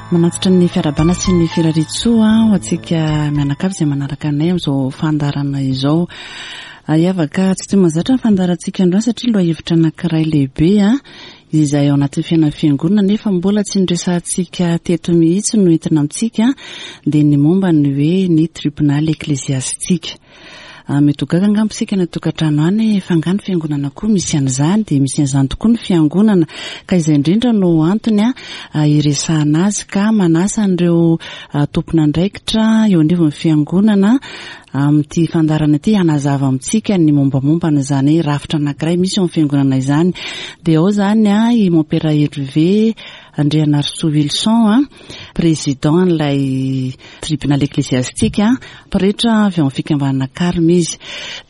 Manatitra ny fiarahabana sy ny firariantsoa ho antsika mianakavy izay manaraka anay amin'izao fandaharana izao. Hiavaka tsy toy mahazatra ny fandaharantsika androany satria lohahevitra anankiray lehibe izay ao anatin'ny fiainan'ny fiangonana nefa mbola tsy noresahantsika teto mihitsy no entina amintsika dia ny momba ny hoe ny tribonaly eklesiastika. Mety ho gaga angamba isika any an-tokantrano any fa angaha ny fiangonana koa misy an'izany? Dia misy an'izany tokoa ny fiangonana ka izay indrindra no antony hiresahana azy ka manasa an'ireo tompon'andraikitra eo anivon'ny fiangonana amin'ity fandaharana ity hanazava amintsika ny mombamomba an'izany rafitra anankiray misy eo amin'ny fiangonana izany. Dia ao izany i Mompera Hervé Andrianarisoa Wilson, président an'ilay tribunal ecclésiastique, Pretra avy ao amin'ny fikambanana Carme izy.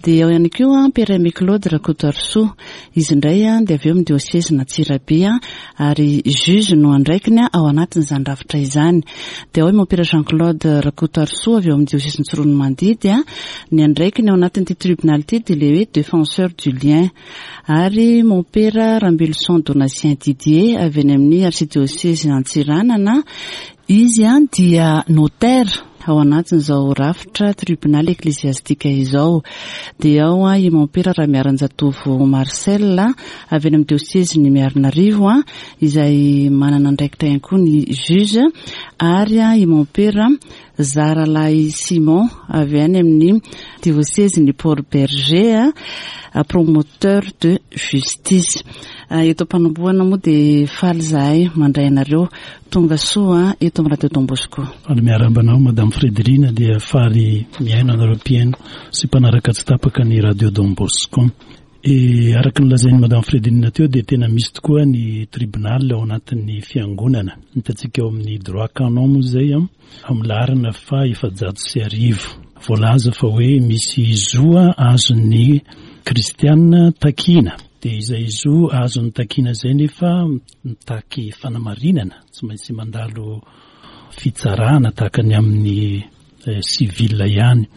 Dia ao ihany koa Père Aimé Claude Rakotoarisoa. Izy indray dia avy eo amin'ny diosezin'Antsirabe ary juge no andraikiny ao anatin'izany rafitra izany. Dia ao i Mompera Jean Claude Rakotoarisoa avy eo amin'ny diosezin'i Tsiroanomandidy. Ny andraikiny ao anatin'ity tribonaly ity dia ilay hoe défenseur du lien. Ary Mompera Rambeloson Donatien Didier avy any amin'ny arsidiosezin'Antsiranana. Izy dia notaire ao anatin'izao rafitra tribonaly eklesiastika izao. Dia ao i Mompera Ramiaranjatovo Marcel avy any amin'ny diosezin'i Miarinarivo izay manana andraikitra ihany koa ny juge ary i Mompera Zaralahy Simon avy any amin'ny diosezin'i Port Bergé, promoteur de justice. Eto am-panombohana moa dia faly izahay mandray anareo tonga soa eto amin'ny Radio Don Bosco. Faly miarahaba anao Madame Frédérine dia faly mihaino anareo mpihaino sy mpanaraka tsy tapaka ny Radio Don Bosco. E, araka ny lazain'i Madame Frédérine teo dia tena misy tokoa ny tribunal ao anatin'ny fiangonana. Hitantsika ao amin'ny droit canon moa izay amin'ny laharana faha 1400. Voalaza fa hoe misy zo azon'ny kristiana takiana. Dia izay zo azony takiana izay nefa mitaky fanamarinana, tsy maintsy mandalo fitsarana tahaka ny amin'ny civil ihany.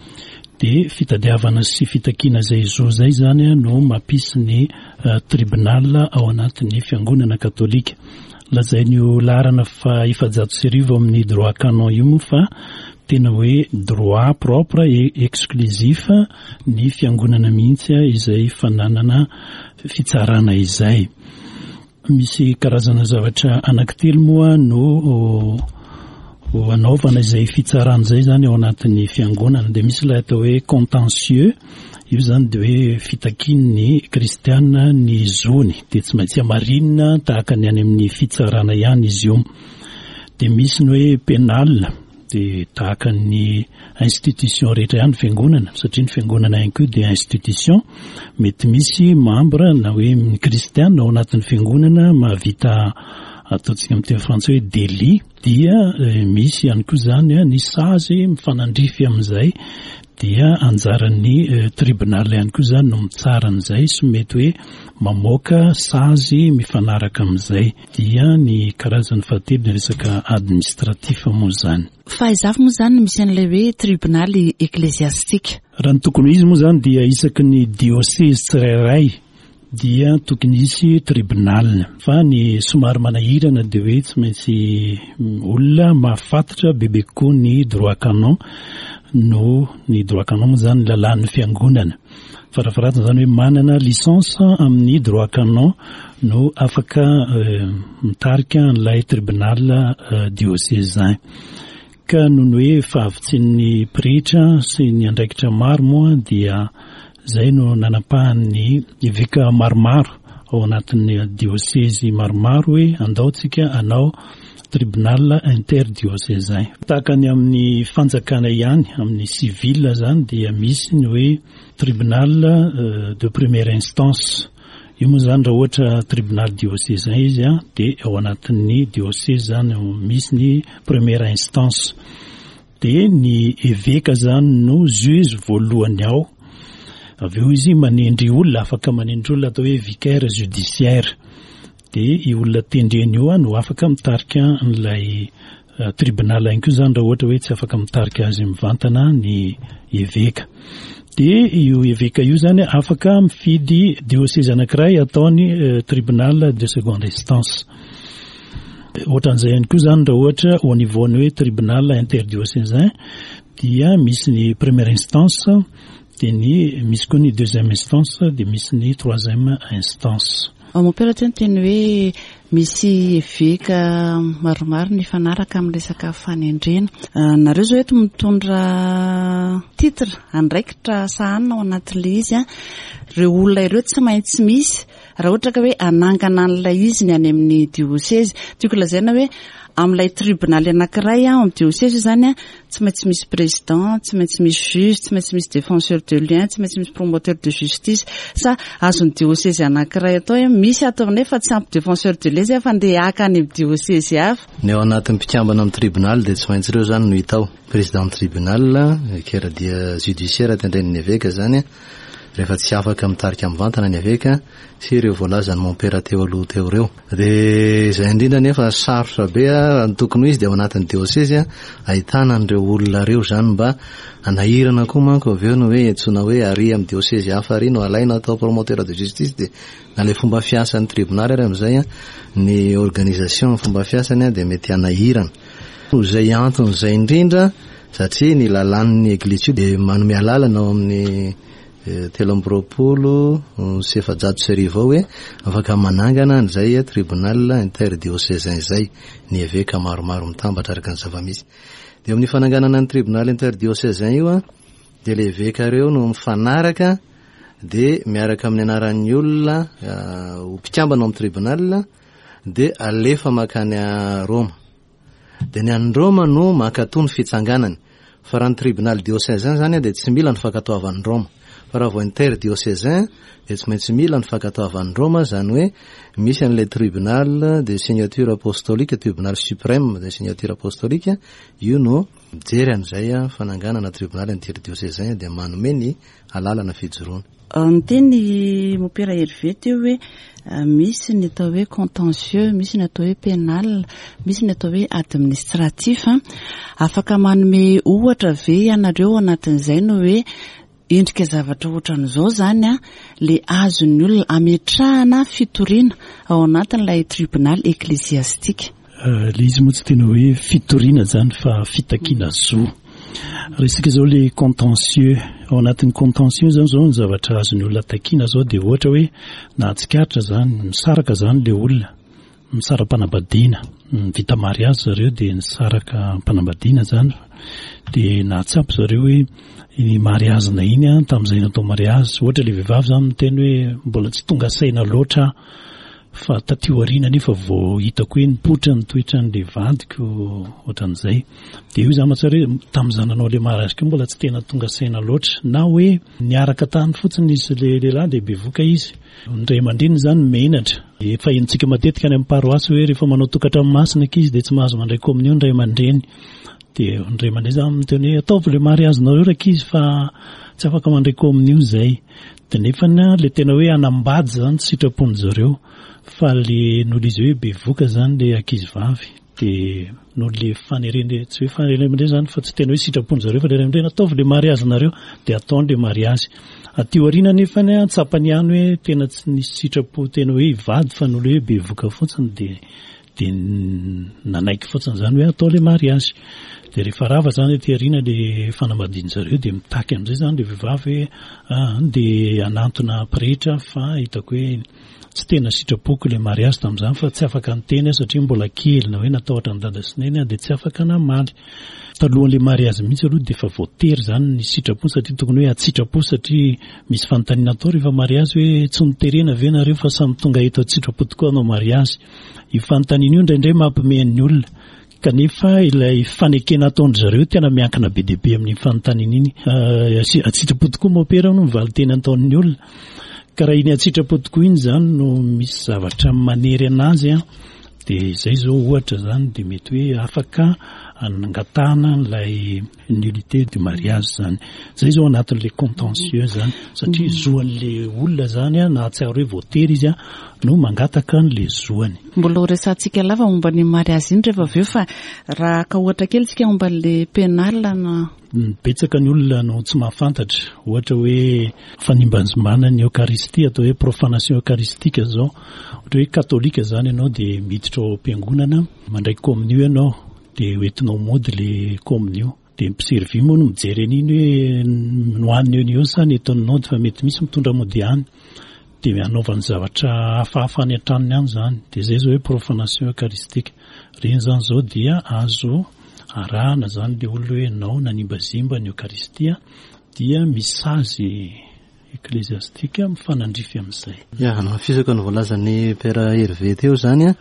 Dia fitadiavana sy fitakiana izay zo izay izany no mampisy ny tribunal ao anatin'ny fiangonana katolika. Lazain'io laharana faha 1400 amin'ny droit canon io moa fa tena hoe droit propre et exclusif ny fiangonana mihitsy izay fananana fitsarana izay. Misy karazana zavatra anankitelo moa no anaovana izay fitsarana izay izany ao anatin'ny fiangonana. Dia misy ilay atao hoe contentieux, io izany dia hoe fitakian'ny kristiana ny zony, dia tsy maintsy hamarinina tahaka ny any amin'ny fitsarana ihany izy io. Dia misy ny hoe pénal, dia tahaka ny institution rehetra ihany ny fiangonana, satria ny fiangonana ihany koa dia institution, mety misy membre na hoe ny kristiana ao anatin'ny fiangonana mahavita ataontsika amin'ny teny frantsay hoe délit, dia eh, misy ihany koa izany eh, ny sazy mifanandrify amin'izay, dia anjaran'ny eh, tribunal ihany koa izany no mitsara an'izay sy mety hoe mamoaka sazy mifanaraka amin'izay. Dia ny karazany fahatelo ny resaka administratif moa izany. Fa aiza avy moa izany no misy an'ilay hoe tribonaly eklesiastika? Raha ny tokony ho izy moa izany dia isaky ny diosezy tsirairay dia tokony hisy tribunal. Fa ny somary manahirana dia hoe tsy maintsy olona mahafantatra bebe kokoa ny droit canon no, ny droit canon moa izany lalàn'ny fiangonana. Farafaharatsiny izany hoe manana licence amin'ny droit canon no afaka mitarika an'ilay tribunal diocésain. Ka noho ny hoe fahavitsian'ny pretra sy ny andraikitra maro moa dia izay no nanapahan'ny eveka maromaro ao anatin'ny diosezy maromaro hoe andao tsika hanao tribunal interdiocésain. Tahaka ny amin'ny fanjakana ihany, amin'ny civil izany dia misy ny hoe tribunal de première instance. Io moa izany raha ohatra tribunal diocésain izy dia ao anatin'ny diocèse izany misy ny première instance. Dia ny eveka izany no juge voalohany ao. Avy eo izy manendry olona, afaka manendry olona atao hoe vicaire judiciaire. Dia io olona tendreny io no afaka mitarika an'ilay tribunal ihany koa izany raha ohatra hoe tsy afaka mitarika azy mivantana ny eveka. Dia io eveka io izany afaka mifidy diocèse anankiray ataony tribunal de seconde instance. Ohatran'izay ihany koa izany raha ohatra au niveau ny hoe tribunal interdiocésain dia misy ny première instance dia ny misy koa ny deuxième instance dia misy ny troisième instance. Mompera teo niteny hoe misy eveka maromaro nifanaraka amin'ny resaka fanendrena. Nareo izao eto mitondra titre, andraikitra sahanina ao anatin'ilay izy. Ireo olona ireo tsy maintsy misy raha ohatra ka hoe hanangana an'ilay izy ny any amin'ny diosezy. Tiako lazaina hoe amin'ilay tribonaly anankiray ao amin'ny diosezy izany Tsy maintsy misy président, tsy maintsy misy juge, tsy maintsy misy défenseur de lien, tsy maintsy misy promoteur de justice. Sa azon'ny diosezy anankiray atao hoe misy ato aminay fa tsy ampy défenseur de lien zay fa ndeha haka any amin'ny diosezy hafa. Ny ao anatin'ny mpikambana amin'ny tribonaly dia tsy maintsy ireo izany no hita ao. Président ny tribunal, vicaire dia judiciaire tendren'ny eveka izany rehefa tsy afaka mitarika mivantana ny eveka sy ireo voalazan'ny mompera teo aloha teo ireo. Dia izay indrindra anefa sarotra be raha ny tokony ho izy dia ao anatin'ny diosezy ahitana an'ireo olona ireo izany mba hanahirana koa manko avy eo ny hoe antsoina hoe ary amin'ny diosezy hafa ary no alaina atao promoteur de justice dia na ilay fomba fiasan'ny tribonaly ary amin'izay ny organisation ny fomba fiasany dia mety hanahirana. Noho izay antony izay indrindra satria ny lalàn'ny eglizy io dia manome alalana ao amin'ny 1423 ao hoe afaka manangana an'izay tribunal interdiocésain izay ny eveka maromaro mitambatra araka ny zava-misy. Dia amin'ny fananganana ny tribunal interdiocésain io dia ilay eveka ireo no mifanaraka dia miaraka amin'ny anaran'ny olona ho mpikambana ao amin'ny tribunal dia alefa mankany Roma. Dia ny an'i Roma no mankatoa ny fitsanganany. Fa raha ny tribunal diocésain izany dia tsy mila ny fankatoavan'i Roma. Fa raha vao inter-diocésain dia tsy maintsy mila ny fankatoavan'i Roma, izany hoe misy an'ilay tribunal de signature apostolique, tribunal suprême de signature apostolique, io no mijery an'izay fananganana tribunal inter-diocésain dia manome ny alalana fijoroana. Niteny i Mopera Hervé teo hoe misy ny atao hoe contentieux, misy ny atao hoe pénal, misy ny atao hoe administratif. Afaka manome ohatra ve ianareo ao anatin'izay ny hoe endrika zavatra ohatran'izao izany ilay azon'ny olona ametrahana fitoriana ao anatin'ilay tribunal ecclésiastique? Ilay izy moa tsy tena hoe fitoriana izany fa fitakiana zo. Resaka izao ilay contentieux. Ao anatin'ny contentieux izany izao ny zavatra azon'ny olona takiana izao dia ohatra hoe nahatsikaritra izany, misaraka izany ilay olona, misara-panambadiana, vita mariazy zareo dia nisaraka am-panambadiana izany dia nahatsapa zareo hoe iny mariazina iny an, tamin'izay natao mariazy, ohatra ilay vehivavy izany miteny hoe mbola tsy tonga saina loatra aho Fa taty aoriana anefa vao hitako hoe nipoitra ny toetran'ilay vadiko ohatran'izay. Dia io za mahatsiaro hoe tamin'izaho nanao ilay mariage koa mbola tsy tena tonga saina loatra. Na hoe niaraka tany fotsiny izy sy ilay lehilahy dia bevoka izy. Ny ray aman-dreniny izany menatra. Efa henontsika matetika any amin'ny paroasy hoe rehefa manao tokantrano masina ankizy dia tsy mahazo mandray kominio ny ray aman-dreny. Dia ny ray aman-dreny izany miteny hoe ataovy ilay mariazinareo rankizy fa tsy afaka mandray kominio izay. Dia nefany an, ilay tena hoe hanambady izany tsy sitrapon-dry zareo fa le noho ilay izy hoe bevoka izany ilay ankizivavy dia noho ilay fanerena, tsy hoe fanerena ray aman-dreny izany fa tsy tena hoe sitrapon-dry zareo fa ilay ray aman-dreny ataovy ilay mariazinareo dia ataony ilay mariazy. Aty aoriana nefany an, tsapany ihany hoe tena tsy nisy sitrapo tena hoe hivady fa noho ilay hoe bevoka fotsiny dia Dia nanaiky fotsiny izany hoe atao ilay mariazy. Dia rehefa rava izany aty aoriana ilay fanambadian-dry zareo dia mitaky amin'izay izany ilay vehivavy hoe ah, dia hanantona pretra fa hitako hoe tsy tena sitrapoko ilay mariazy tamin'izany fa tsy afaka niteny aho satria mbola kely na hoe natahotra an'i dada sy neny aho dia tsy afaka namaly. Talohan'ilay mariazy mihitsy aloha dia efa voatery izany ny sitrapo satria tokony hoe an-tsitrapo satria misy fanontaniana atao rehefa mariazy hoe tsy noterena ve nareo fa samy tonga eto an-tsitrapo tokoa hanao mariazy. Io fanontaniana io indraindray mampimehy ny olona, kanefa ilay fanekena ataon-dry zareo tena miankina be dia be amin'iny fanontaniana iny. An-tsitrapo tokoa mompera hono ny valin-teny ataon'ny olona. Ka raha iny an-tsitrapo tokoa iny izany no misy zavatra manery an'azy an, dia izay izao ohatra izany dia mety hoe afaka angatahana an'ilay nullité du mariage zany. Zay zao anatin'le contentieux zany satria zoan'le olona zany a, nahatsiaro hoe voatery izy a no mangataka an'le zoany. Mbola ho resahantsika lava momba ny mariazy iny rehefa avy eo fa raha haka ohatra kely tsika momba an'le pénal na. Betsaka ny olona no tsy mahafantatra, ohatra hoe fanimbanjimbana ny Eokaristia, atao hoe profanation eucharistique zao, ohatra hoe katolika zany ianao dia miditra ao am-piangonana, mandray kominio ianao, dia hoentinao mody le kominio, dia ny mpiservy moa no mijery an'iny hoe nohaniny eo no eo sa nentiny nody fa mety misy mitondra mody ihany, dia anaovany zavatra hafahafa any an-tranony any zany, dia zay zao hoe profanation eucharistique, ireny zany zao dia azo arahana zany le olona hoe ianao nanimbazimba ny Eokaristia dia misy sazy eklesiastika mifanandrify amin'izay. Ya, hanamafisako ny voalazan'i Père Hervé teo zany an,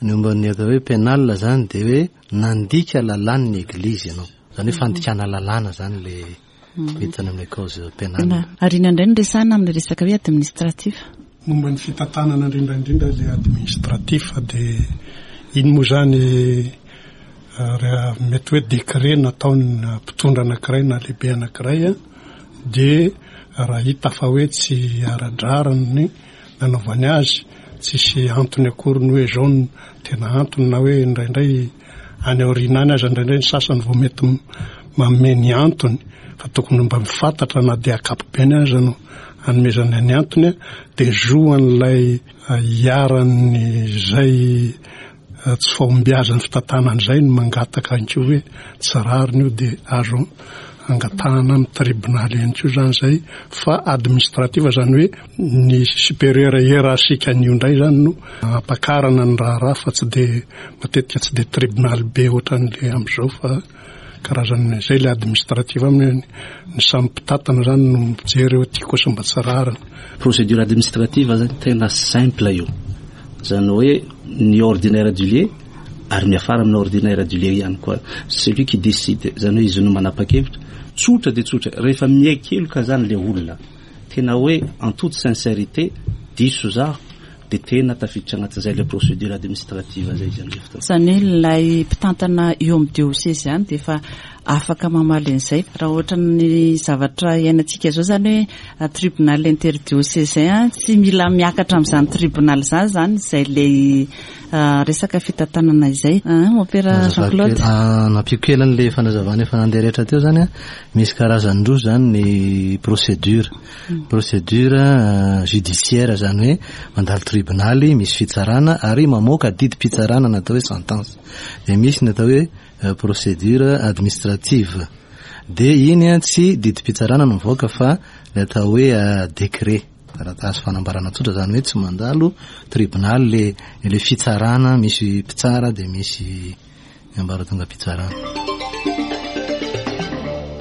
ny momba ny atao hoe pénal zany dia hoe nandika lalàn'ny Eglizy ianao. Zany hoe fandikana lalàna zany le miditra any amin'ilay cause pénale. Ary inona indray no resahina amin'ilay resaka hoe administratif? Momba ny fitantanana indrindra indrindra ilay administratif dia iny moa izany raha mety hoe décret nataon'ny mpitondra anankiray na lehibe anankiray dia raha hita fa hoe tsy ara-drariny ny nanaovany azy, tsisy antony akory ny hoe izao no tena antony na hoe indraindray any aoriana any aza indraindray ny sasany vao mety manome ny antony fa tokony mba mifantatra na dia ankapobeny aza no anomezana ny antony dia zo an'ilay iharan'izay tsy fahombiazan'ny fitantanana izay no mangataka ihany koa hoe tsy rariny io dia azo angatahana amin'ny tribonaly ihany koa izany izay fa administrative izany hoe ny supérieur hiérarchique an'io indray izany no ampakarana ny raharaha fa tsy dia matetika tsy dia tribonaly be ohatran'ilay amin'izao fa karazany izay ilay administrative aminy ny samy mpitantana izany no mijery hoe ity kosa mba tsy rariny. Procédure administrative zany tena simple io. Zany hoe ny ordinaire du lieu ary miafara amin'ny ordinaire du lieu ihany koa. Celui qui décide, zany hoe izy no manapa-kevitra. Tsotra dia tsotra, rehefa miaiky heloka zany le olona, tena hoe en toute sincérité, diso zaho, dia tena tafiditra anatin'izay ilay procédure administrative zay izy amin'izay fotoana. Izany hoe ilay mpitantana eo amin'ny dioseze ihany dia efa afaka mamaly an'izay. Raha ohatra ny zavatra iainantsika izao izany hoe tribunal interdiocésain, tsy mila miakatra amin'izany tribunal izany izany izay ilay resaka fitantanana izay. Mompera Jean Claude. Nampiako kely an'ilay fanazavana efa nandeha rehetra teo izany an, misy karazany roa izany ny procédure. Procédure judiciaire izany hoe mandalo tribonaly, misy fitsarana ary mamoaka didim-pitsarana na atao hoe sentence. Dia misy ny atao hoe procédure administrative. Dia iny tsy didim-pitsarana no mivoaka fa ny atao hoe décret, taratasy fanambarana tsotra izany hoe tsy mandalo tribonaly le le fitsarana misy mpitsara dia misy ny ambaratongam-pitsarana.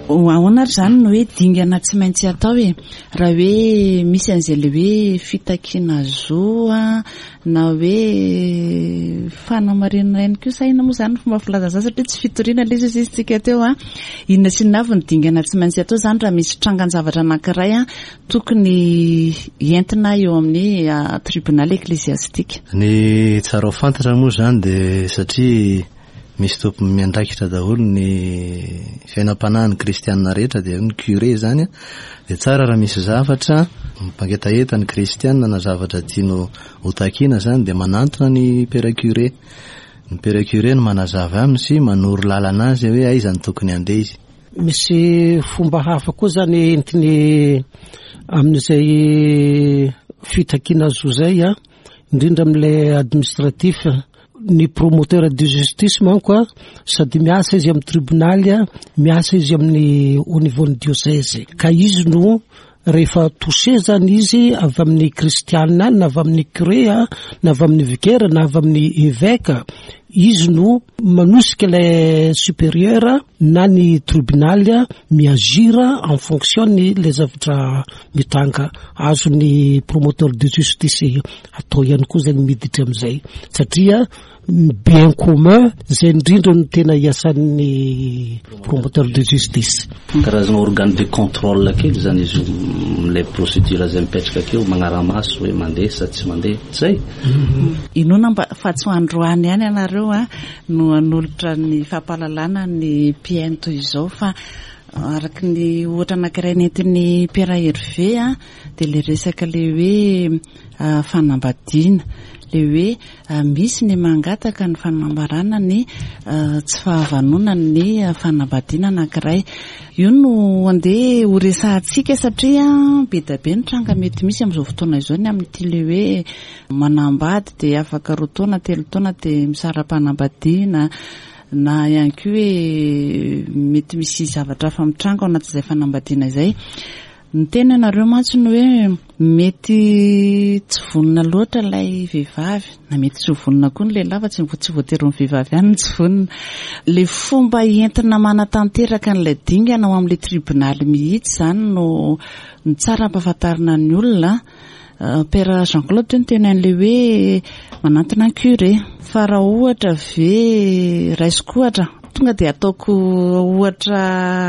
Ahoana ary izany no hoe dingana tsy maintsy atao e? Raha hoe misy an'izay ilay hoe fitakiana zo na hoe fanamarinana ihany koa sa inona moa izany ny fomba filazana izany satria tsy fitoriana ilay izy hoy isika teo an. Inona sy inona avy ny dingana tsy maintsy atao izany raha misy trangan-javatra anankiray tokony entina eo amin'ny tribunal ecclesiastique. Ny tsara ho fantatra moa izany dia satria misy tompony miandraikitra daholo ny fiainam-panahin'ny kristianina rehetra dia ny curé izany dia tsara raha misy zavatra mampangetaheta ny kristianina na zavatra tianao ho takiana izany dia manantona ny père curé. Ny père curé no manazava aminy sy manoro lalana azy hoe aiza no tokony handeha izy. Misy fomba hafa koa zany entiny amin'izay fitakiana zo zay a, indrindra amin'ilay administratif. Ny promoteur de justice manko a, sady miasa izy amin'ny tribonaly a, miasa izy amin'ny au niveau ny diocèse. Ka izy no rehefa touché zany izy avy amin'ny kristiana na avy amin'ny curé na avy amin'ny vicaire na avy amin'ny évêque, izy no manosika ilay supérieur na ny tribunal mi-agir en fonction ny ilay zavatra mitranga. Azon'ny promoteur de justice atao ihany koa zany miditra amin'izay satria ny bien commun izay indrindra no tena iasan'ny promoteur de justice. Karazana organe de contrôle kely zany izy io amin'ilay procédure izay mipetraka akeo, magnara-maso hoe mandeha sa tsy mandeha. Zay. Inoana mba fa tsy ho androany ihany ianareo. nareo a no hanolotra ny fampahalalana ny mpihaino toy izao fa araka ny ohatra anankiray nentin'i Pierre Hervé a dia ilay resaka ilay hoe fanambadiana, ilay hoe misy ny mangataka ny fanambarana ny tsy fahavanonan'ny fanambadiana anankiray. Io no andeha ho resahantsika satria be dia be ny tranga mety misy amin'izao fotoana izao ny amin'ity ilay hoe manambady dia afaka roa taona, telo taona dia misara-panambadiana na ihany koa hoe mety misy zavatra hafa mitranga ao anatin'izay fanambadiana izay. Niteny ianareo mantsy ny hoe mety tsy vonona loatra ilay vehivavy na mety tsy ho vonona koa ny lehilahy fa tsy tsy voatery ho ny vehivavy ihany no tsy vonona. Ilay fomba entina manatanteraka an'ilay dingana ao amin'ilay tribonaly mihitsy izany no no tsara ampahafantarina ny olona. Père Jean Claude teo niteny an'ilay hoe manantona ny curé. Fa raha ohatra ve raisiko ohatra, tonga dia ataoko ohatra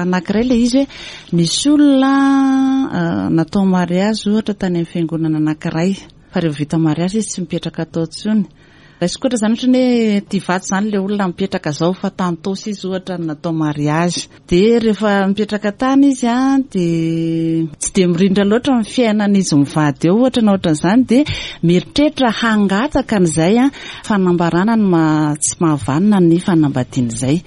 anankiray ilay izy hoe nisy olona natao mariazy ohatra tany amin'ny fiangonana anankiray fa rehefa vita mariazy izy tsy mipetraka tao intsony. Raisiko ohatra izany ohatra ny hoe ety Ivato izany ilay olona mipetraka izao fa tany Taosy izy ohatra no natao mariazy. Dia rehefa mipetraka tany izy an, dia tsy dia mirindra loatra ny fiainan'izy mivady eo ohatra na ohatran'izany dia mieritreritra hangataka an'izay an, fanambarana ny maha tsy mahavanona ny fanambadiana izay.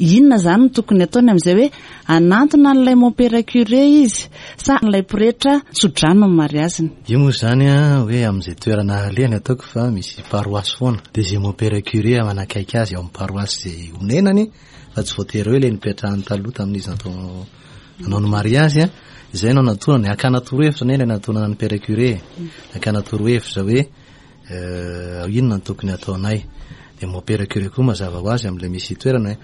Inona izany no tokony ataony amin'izay hoe hanantona an'ilay mompera curé izy sa an'ilay pretra tso-drano ny mariaziny? Io moa izany an, hoe amin'izay toerana alehany ataoko fa misy paroasy foana. Dia izay mompera curé manakaiky azy ao amin'ny paroasy izay onenany fa tsy voatery hoe ilay nipetrahany taloha tamin'izy natao nanao ny mariazy an, izay no anatonany, hakana torohevitra anie ilay natonana ny père curé e, hakana torohevitra hoe inona no tokony hataonay, dia mon père curé koa mazava ho azy amin'ilay misy toerana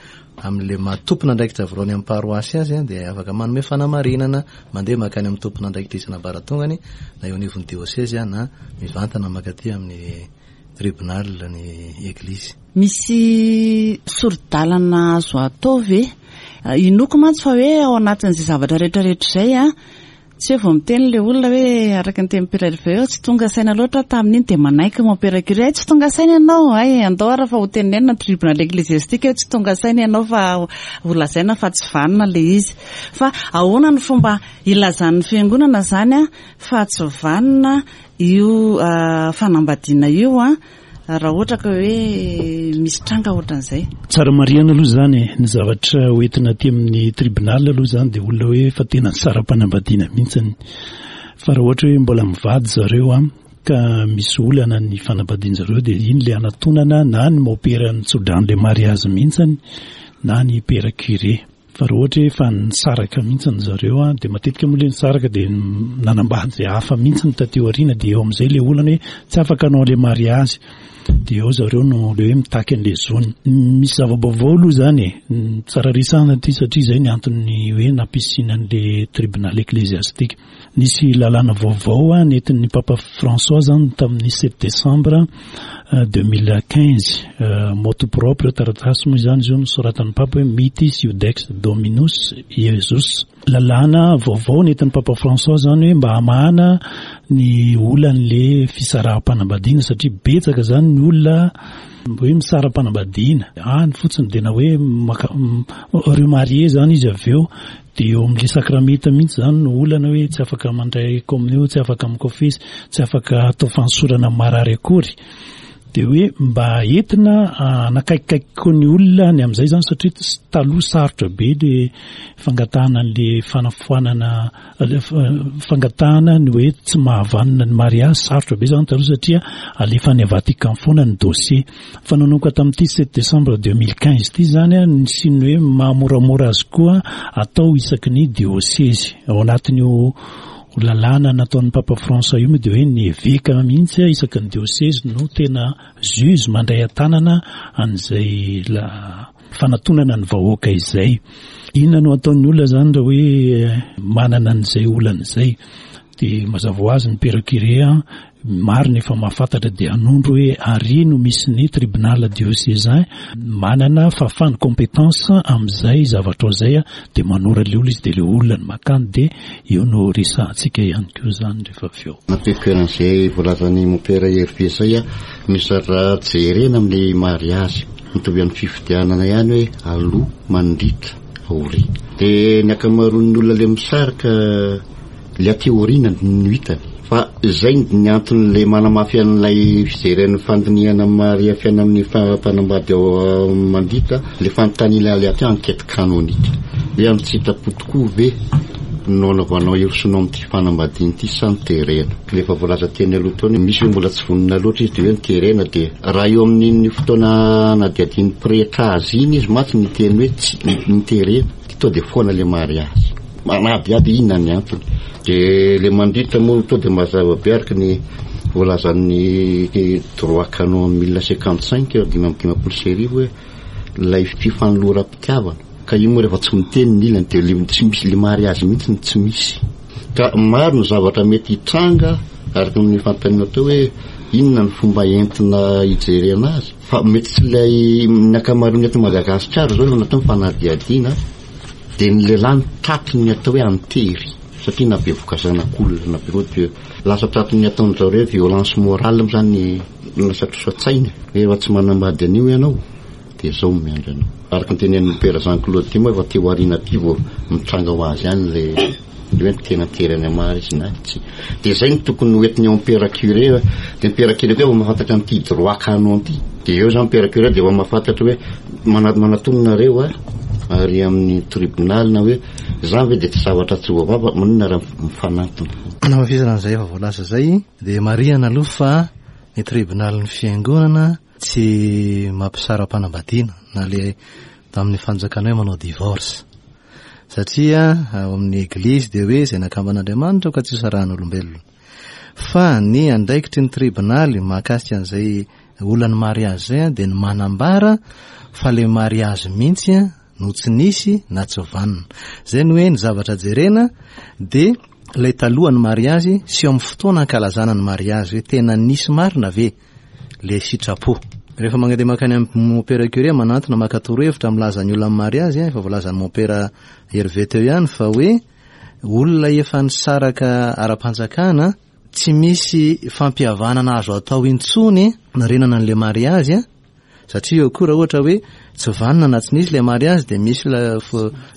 amin'ilay maha tompon'andraikitra voalohany amin'ny paroasy azy an, dia afaka manome fanamarinana mandeha mankany amin'ny tompon'andraikitra isan'ambaratongany na eo anivon'ny diosezy na mivantana mankaty amin'ny tribunal ny eglizy. Misy sori-dalana azo atao ve? Inoako mantsy fa hoe ao anatin'izay zavatra rehetra rehetra izay an, tsy hoe vao miteny ilay olona hoe araka ny tenin'i Père Hervé hoe tsy tonga saina loatra aho tamin'iny dia manaiky mon père curé, hay tsy tonga saina ianao, hay andao ary fa ho tenenina ny tribunal ecclésiastique hoe tsy tonga saina ianao fa ho lazaina fa tsy vanona ilay izy. Fa ahoana ny fomba ilazan'ny fiangonana izany an fa tsy vanona io fanambadiana io an? Raha ohatra ka hoe misy tranga ohatran'izay. Tsara marihana aloha izany e, ny zavatra ho entina aty amin'ny tribunal aloha izany dia olona hoe efa tena nisara-panambadiana mihitsiny. Fa raha ohatra hoe mbola mivady zareo an, ka misy olana ny fanambadian-jareo dia iny ilay anatonana na ny maopera nitsodrano ilay mariazy mihitsiny na ny père curé. Fa raha ohatra hoe efa nisaraka mihitsy zareo an, dia matetika moa ilay nisaraka dia nanambady izay hafa mihitsy taty aoriana, dia eo amin'izay ilay olana hoe tsy afaka hanao ilay mariazy, dia eo zareo no ilay hoe mitaky an'ilay zony. Misy zava-baovao aloha izany e, tsara resahana ity satria izay ny anton'ny hoe nampisiana an'ilay tribunal ecclésiastique. Nisy lalàna vaovao nentin'ny Papa François zany tamin'ny sept décembre 2015. Motu proprio, taratasy moa izany izy io nosoratan'ny Papa hoe Mitis Iudex Dominus Iesus. Lalàna vaovao nentin'ny Papa François zany hoe mba hamahana ny olan'le fisaraham-panambadiana satria betsaka zany ny olona hoe misara-panambadiana any fotsiny dia na hoe maka remarier zany izy avy eo Dia eo amin'ilay sakramenta mihitsy izany no olana hoe tsy afaka mandray komonio, tsy afaka mikofesy, tsy afaka atao fanosorana amin'ny marary akory. Dia hoe mba entina hanakaikikaiky koa ny olona ny amin'izay izany satria taloha sarotra be ilay fangatahana an'ilay fanafoanana, fangatahana ny hoe tsy mahavanona ny mariazy, sarotra be izany taloha satria alefa any Vatican foana ny dossier. Fa nanomboka tamin'ity sept décembre 2015 ity izany nisian'ny hoe mahamoramora azy koa atao isaky ny diosezy. Ao anatin'io lalàna nataon'ny Papa François io moa dia hoe ny eveka mihitsy isaky ny diosezy no tena juge mandray an-tanana an'izay fanatonana ny vahoaka izay. Inona no ataon'ny olona izany raha hoe manana an'izay olana izay? Dia mazava ho azy ny père curé maro ny efa mahafantatra dia hanondro hoe ary no misy ny tribunal diocésain manana fahafahana compétence amin'izay zavatra ao izay dia manora ilay olona izy dia ilay olona no makany dia eo no resahantsika ihany koa izany rehefa avy eo. Nampiako an'izay voalazan'i Mompera Hervé izay, misy raha jerena amin'ny mariazy. Mitovy amin'ny fifidianana ihany hoe aloha, mandritra, aoriana. Dia ny ankamaroan'ny olona ilay misaraka ilay aty aoriana no hitany. Fa izay ny anton'ilay manamafy an'ilay fijeren'ny fandinihana maria fiainan'ny mpanambady ao mandritra ilay fanontaniana ilay atao enquête canonique. Hoe amin'ny tsy sitrapo tokoa ve no anaovanao hirosoanao amin'ity fanambadiana ity sa ny terena? Ilay efa voalaza teny aloha teo, misy hoe mbola tsy vonona loatra izy dia hoe ny terena dia raha eo amin'iny fotoana anadihadian'ny pretra azy iny izy mantsy niteny hoe tsy ny terena dia tonga dia foana ilay mariazy. Manadihady inona ny antony. Dia ilay mandritra moa tonga dia mazava be araka ny voalazan'ny droit canon 1055 1055 hoe ilay fifanoloram-pitiavana. Ka io moa rehefa tsy miteny ny ilany dia le tsy misy le mariazy mihitsy no tsy misy. Ka maro ny zavatra mety hitranga araka ny fanontaniana teo hoe inona ny fomba entina hijerena azy fa mety tsy ilay ny ankamaroan'ny eto Madagasikara izao no natao ny fanadihadiana dia ny lehilahy no tratry ny atao hoe antery satria na bevoka zanak'olona na bevoka dia lasa tratry ny ataon-dry zareo hoe violence morale moa izany lasa trosa-tsaina hoe efa tsy manambady an'io ianao dia izao no miandry anao. Araka ny tenenin'i Mompera Jean Claude ity moa efa aty aoriana aty vao mitranga ho azy ihany ilay hoe tena tery any amary izy na tsia. Dia izay no tokony ho entin'ny Mompera Curé, dia Mompera Curé koa efa mahafantatra an'ity droit canon ity. Dia eo izany Mompera Curé dia efa mahafantatra hoe manatona nareo a, ary amin'ny tribonaly na hoe izany ve dia tsy zavatra tsy voavaha fa maninona raha mifanantona. Hanamafisana an'izay efa voalaza izay dia marihana aloha fa ny tribonalin'ny fiangonana Tsy mampisara-panambadiana na le tamin'ny fanjakana hoe manao divorce. Satria ao amin'ny eglizy dia hoe izay nakamban'Andriamanitra ka tsy hosarahan'olombelona. Fa ny andraikitry ny tribonaly mahakasika an'izay olan'ny mariazy izay dia ny manambara fa le mariazy mihitsy no tsy nisy na tsy vanona. Izay no hoe ny zavatra jerena dia ilay talohan'ny mariazy sy eo amin'ny fotoana ankalazana ny mariazy hoe tena nisy marina ve le sitrapo. Rehefa mandeha mankany amin'ny mompera curé manantona maka torohevitra milaza ny olona amin'ny mariazy, efa voalazan'ny mompera Hervé teo ihany fa hoe olona efa nisaraka ara-panjakana, tsy misy fampihavanana azo atao intsony narenana an'le mariazy, satria eo koa raha ohatra hoe tsy vanona na tsy nisy le mariazy dia misy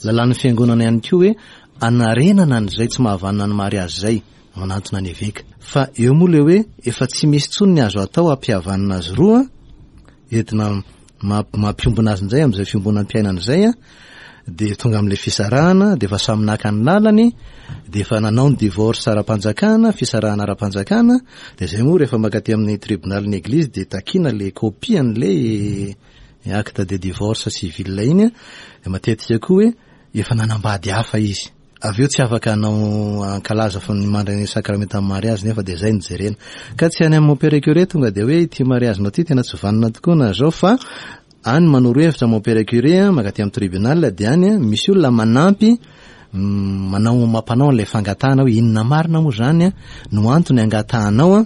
lalàn'ny fiangonana ihany koa hoe anarenana an'izay tsy mahavanona ny mariazy izay. manantona ny eveka. Fa eo moa le hoe efa tsy misy intsony ny azo atao hampihavanana azy roa, entina mampiombona azy indray amin'izay fiombonam-piainana izay an, dia tonga amin'ilay fisarahana, dia efa samy naka ny lalany, dia efa nanao ny divorce ara-panjakana, fisarahana ara-panjakana, dia izay moa rehefa mankaty amin'ny tribonalin'ny eglizy dia takiana le copie an'ilay acte de divorce civil iny an, dia matetika koa hoe efa nanambady hafa izy. Avy eo tsy afaka hanao hankalaza fa ny mandray ny sakramentan'ny mariazy nefa dia izay no jerena. Ka tsy any amin'ny mompera curé tonga dia hoe ity mariazinao ity tena tsy vanona tokoa na izao fa any manoro hevitra mompera curé mankaty amin'ny tribunal dia any misy olona manampy manao mampanao an'ilay fangatahana hoe inona marina moa izany no antony angatahanao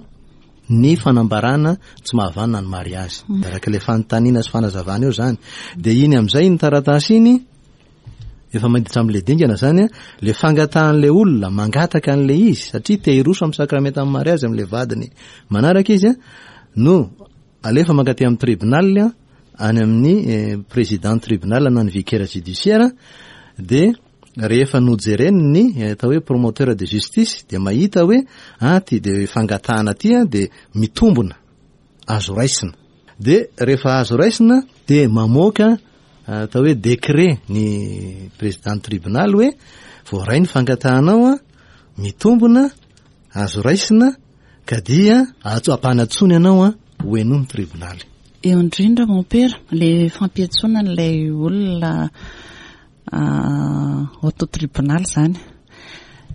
ny fanambarana tsy mahavanona ny mariazy. Araka ilay fanontaniana sy fanazavana eo izany. Dia iny amin'izay iny taratasy iny Efa miditra amin'ilay dingana izany an, ilay fangatahan'ilay olona mangataka an'ilay izy satria te hiroso amin'ny sakramentan'ny mariazy amin'ilay vadiny manaraka izy an, no alefa mankaty amin'ny tribunal any amin'ny eh, président tribunal na ny vicaire judiciaire dia rehefa nojereny ny eh, atao hoe promoteur de justice dia mahita hoe ah ty de fangatahana ty an dia mitombona azo raisina. Dia rehefa azo raisina dia mamoaka atao hoe décret ny président tribunal hoe voaray ny fangatahanao an, mitombona, azo raisina ka dia ampanantsoina ianao an ho henoin'ny tribonaly. Eo indrindra mompera, le fampiantsoana an'ilay olona Auto tribunal izany.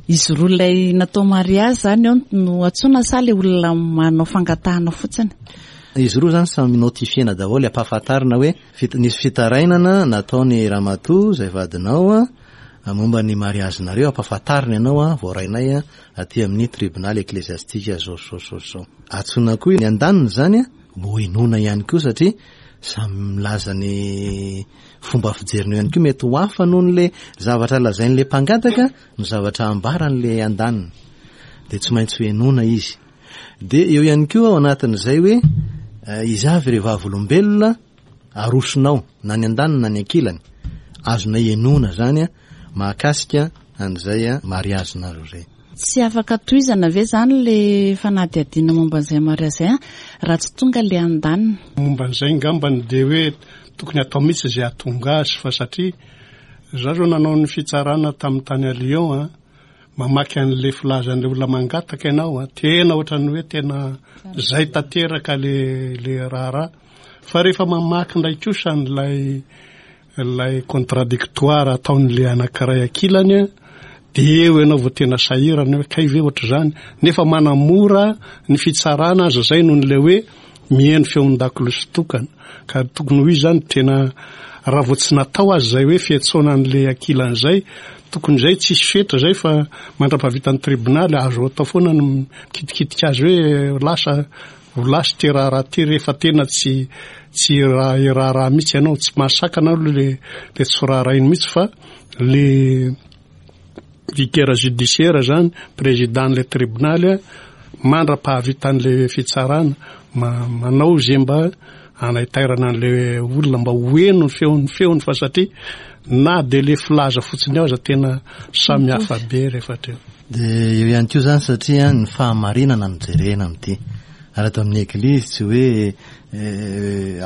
Izy roa ilay natao mariazy izany eo no antsoina sa ilay olona manao fangatahana fotsiny? Izy roa izany samy notifiena daholo, ampahafantarina hoe nisy fitarainana nataon'i ramatoa izay vadinao momba ny mariazinareo, ampahafantarina ianao voarainay aty amin'ny tribonaly eklesiastika zao zao zao zao. Antsoina koa ny andaniny izany mba henoina ihany koa satria samy milaza ny Fomba fijeriny eo ihany koa mety ho hafa noho ny le zavatra lazain'le mpangataka ny zavatra ambaran'le andaniny. Dia tsy maintsy ho henoina izy. Dia eo ihany koa ao anatin'izay hoe eh, iza avy ireo vavolombelona. arosonao na ny andaniny na ny ankilany azonay henoina zany mahakasika an'izay mariazinareo zay. Tsy afaka tohizana ve zany le fanadihadiana momba an'izay mariazy zay raha tsy tonga le andaniny? Momba an'izay ngambany dia hoe tokony atao mihitsy izay hahatonga azy fa satria za zao nanao ny fitsarana tamin'ny tany à Lyon a, mamaky an'le filazan'le olona mangataka ianao a, tena ohatran'ny hoe tena zay tanteraka le le raharaha fa rehefa mamaky indray kosa an'ilay Ilay contradictoire ataon'ilay anankiray ankilany an, dia eo ianao vao tena sahirana hoe kay ve ohatr'izany, nefa manamora ny fitsarana aza izay noho ilay hoe mihaino feon-dakolosy tokana. Ka tokony ho izy izany tena raha vao tsy natao aza izay hoe fiantsoana an'ilay ankilany izay, tokony izay tsisy fetra izay fa mandra-pahavitan'ny tribonaly azo atao foana ny mikitikitika azy hoe lasa Ho lasa ity raharaha ity rehefa tena tsy tsy hiraharaha mihitsy ianao, tsy mahasakana aloha le le tsy firaharahiana mihitsy fa le vicaire judiciaire zany, président-n'le tribonaly mandra-pahavitan'le fitsarana manao ze mba hanaitairana an'le olona mba ho heno ny feony feony fa satria na de le filaza fotsiny ao aza tena samy hafa be rehefa hatreo. Dia eo ihany koa izany satria ny fahamarinana no jerena amin'ity. Ary ato amin'ny Eglizy tsy hoe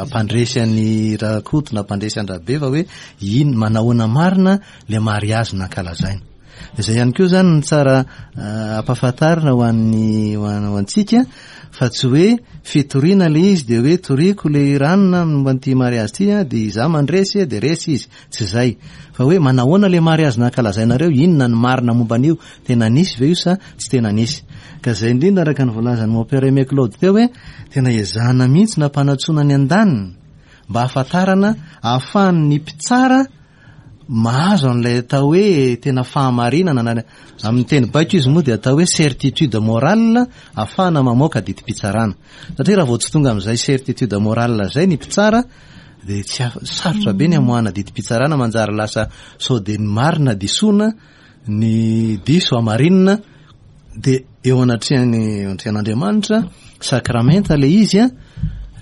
hampandresy an'i Rakoto na hampandresy an-dRabe fa hoe inn manahoana marina ilay mariazy nankalazaina. Dia izay ihany koa izany no tsara ampahafantarina ho an'ny ho antsika fa tsy hoe fitoriana ilay izy dia hoe toriko ilay ranona momba an'ity mariazy ity dia izaho mandresy dia resy izy. Tsy izay. Fa hoe manahoana ilay mariazy nankalazainareo, inona ny marina momba an'io, tena nisy ve io sa tsy tena nisy. Ka izay indrindra araka ny voalazan'i Mon Père Aimé Claude teo hoe tena ezahana mihitsy ny hampanantsoana ny andaniny mba hahafantarana, ahafahan'ny mpitsara mahazo an'ilay atao hoe tena fahamarinana na amin'ny teny baiko izy moa dia atao hoe certitude morale ahafahana mamoaka didim-pitsarana. Satria raha vao tsy tonga amin'izay certitude morale izay ny mpitsara dia tsy afa, sarotra be ny hamoahana didim-pitsarana manjary lasa sao dia ny marina disoana, ny diso hamarinina, dia eo anatrehan'ny eo anatrehan'Andriamanitra, sakramenta ilay izy an,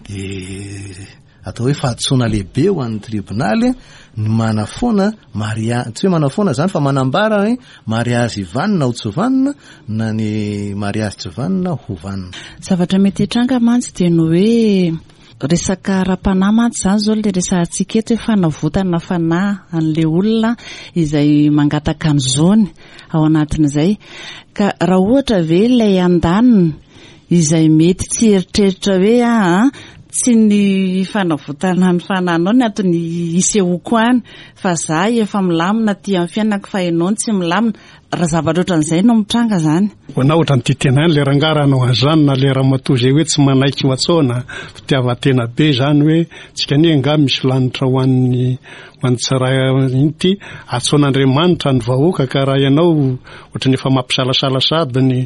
dia atao hoe fahadisoana lehibe ho an'ny tribonaly ny manafoana maria-, tsy hoe manafoana izany fa manambara hoe mariazy vanona ho tsy vanona na ny mariazy tsy vanona ho vanona. Zavatra mety hitranga mantsy dia ny hoe Resaka ara-panahy mantsy izany izao ilay resahantsika eto hoe fanavotana fanahy an'ilay olona izay mangataka ny zony ao anatin'izay. Ka raha ohatra ve ilay andaniny izay mety tsy hieritreritra hoe aa tsy ny fanavotana ny fanahinao ny antony hisehoako any fa za efa milamina aty amin'ny fiainako fa ianao no tsy milamina, Raha zavatra ohatran'izay no mitranga zany. Ho anah ohatran'ny tia tena ihany le rangahy raha hanao an'izany na le ramatoa izay hoe tsy manaiky ho atsaona, fitiavan-tena be izany hoe tsika anie angaha misy lanitra ho an'ny ho an'ny tsiray inty, atsaon'Andriamanitra ny vahoaka ka raha ianao ohatran'ny efa mampisalasala sahady ny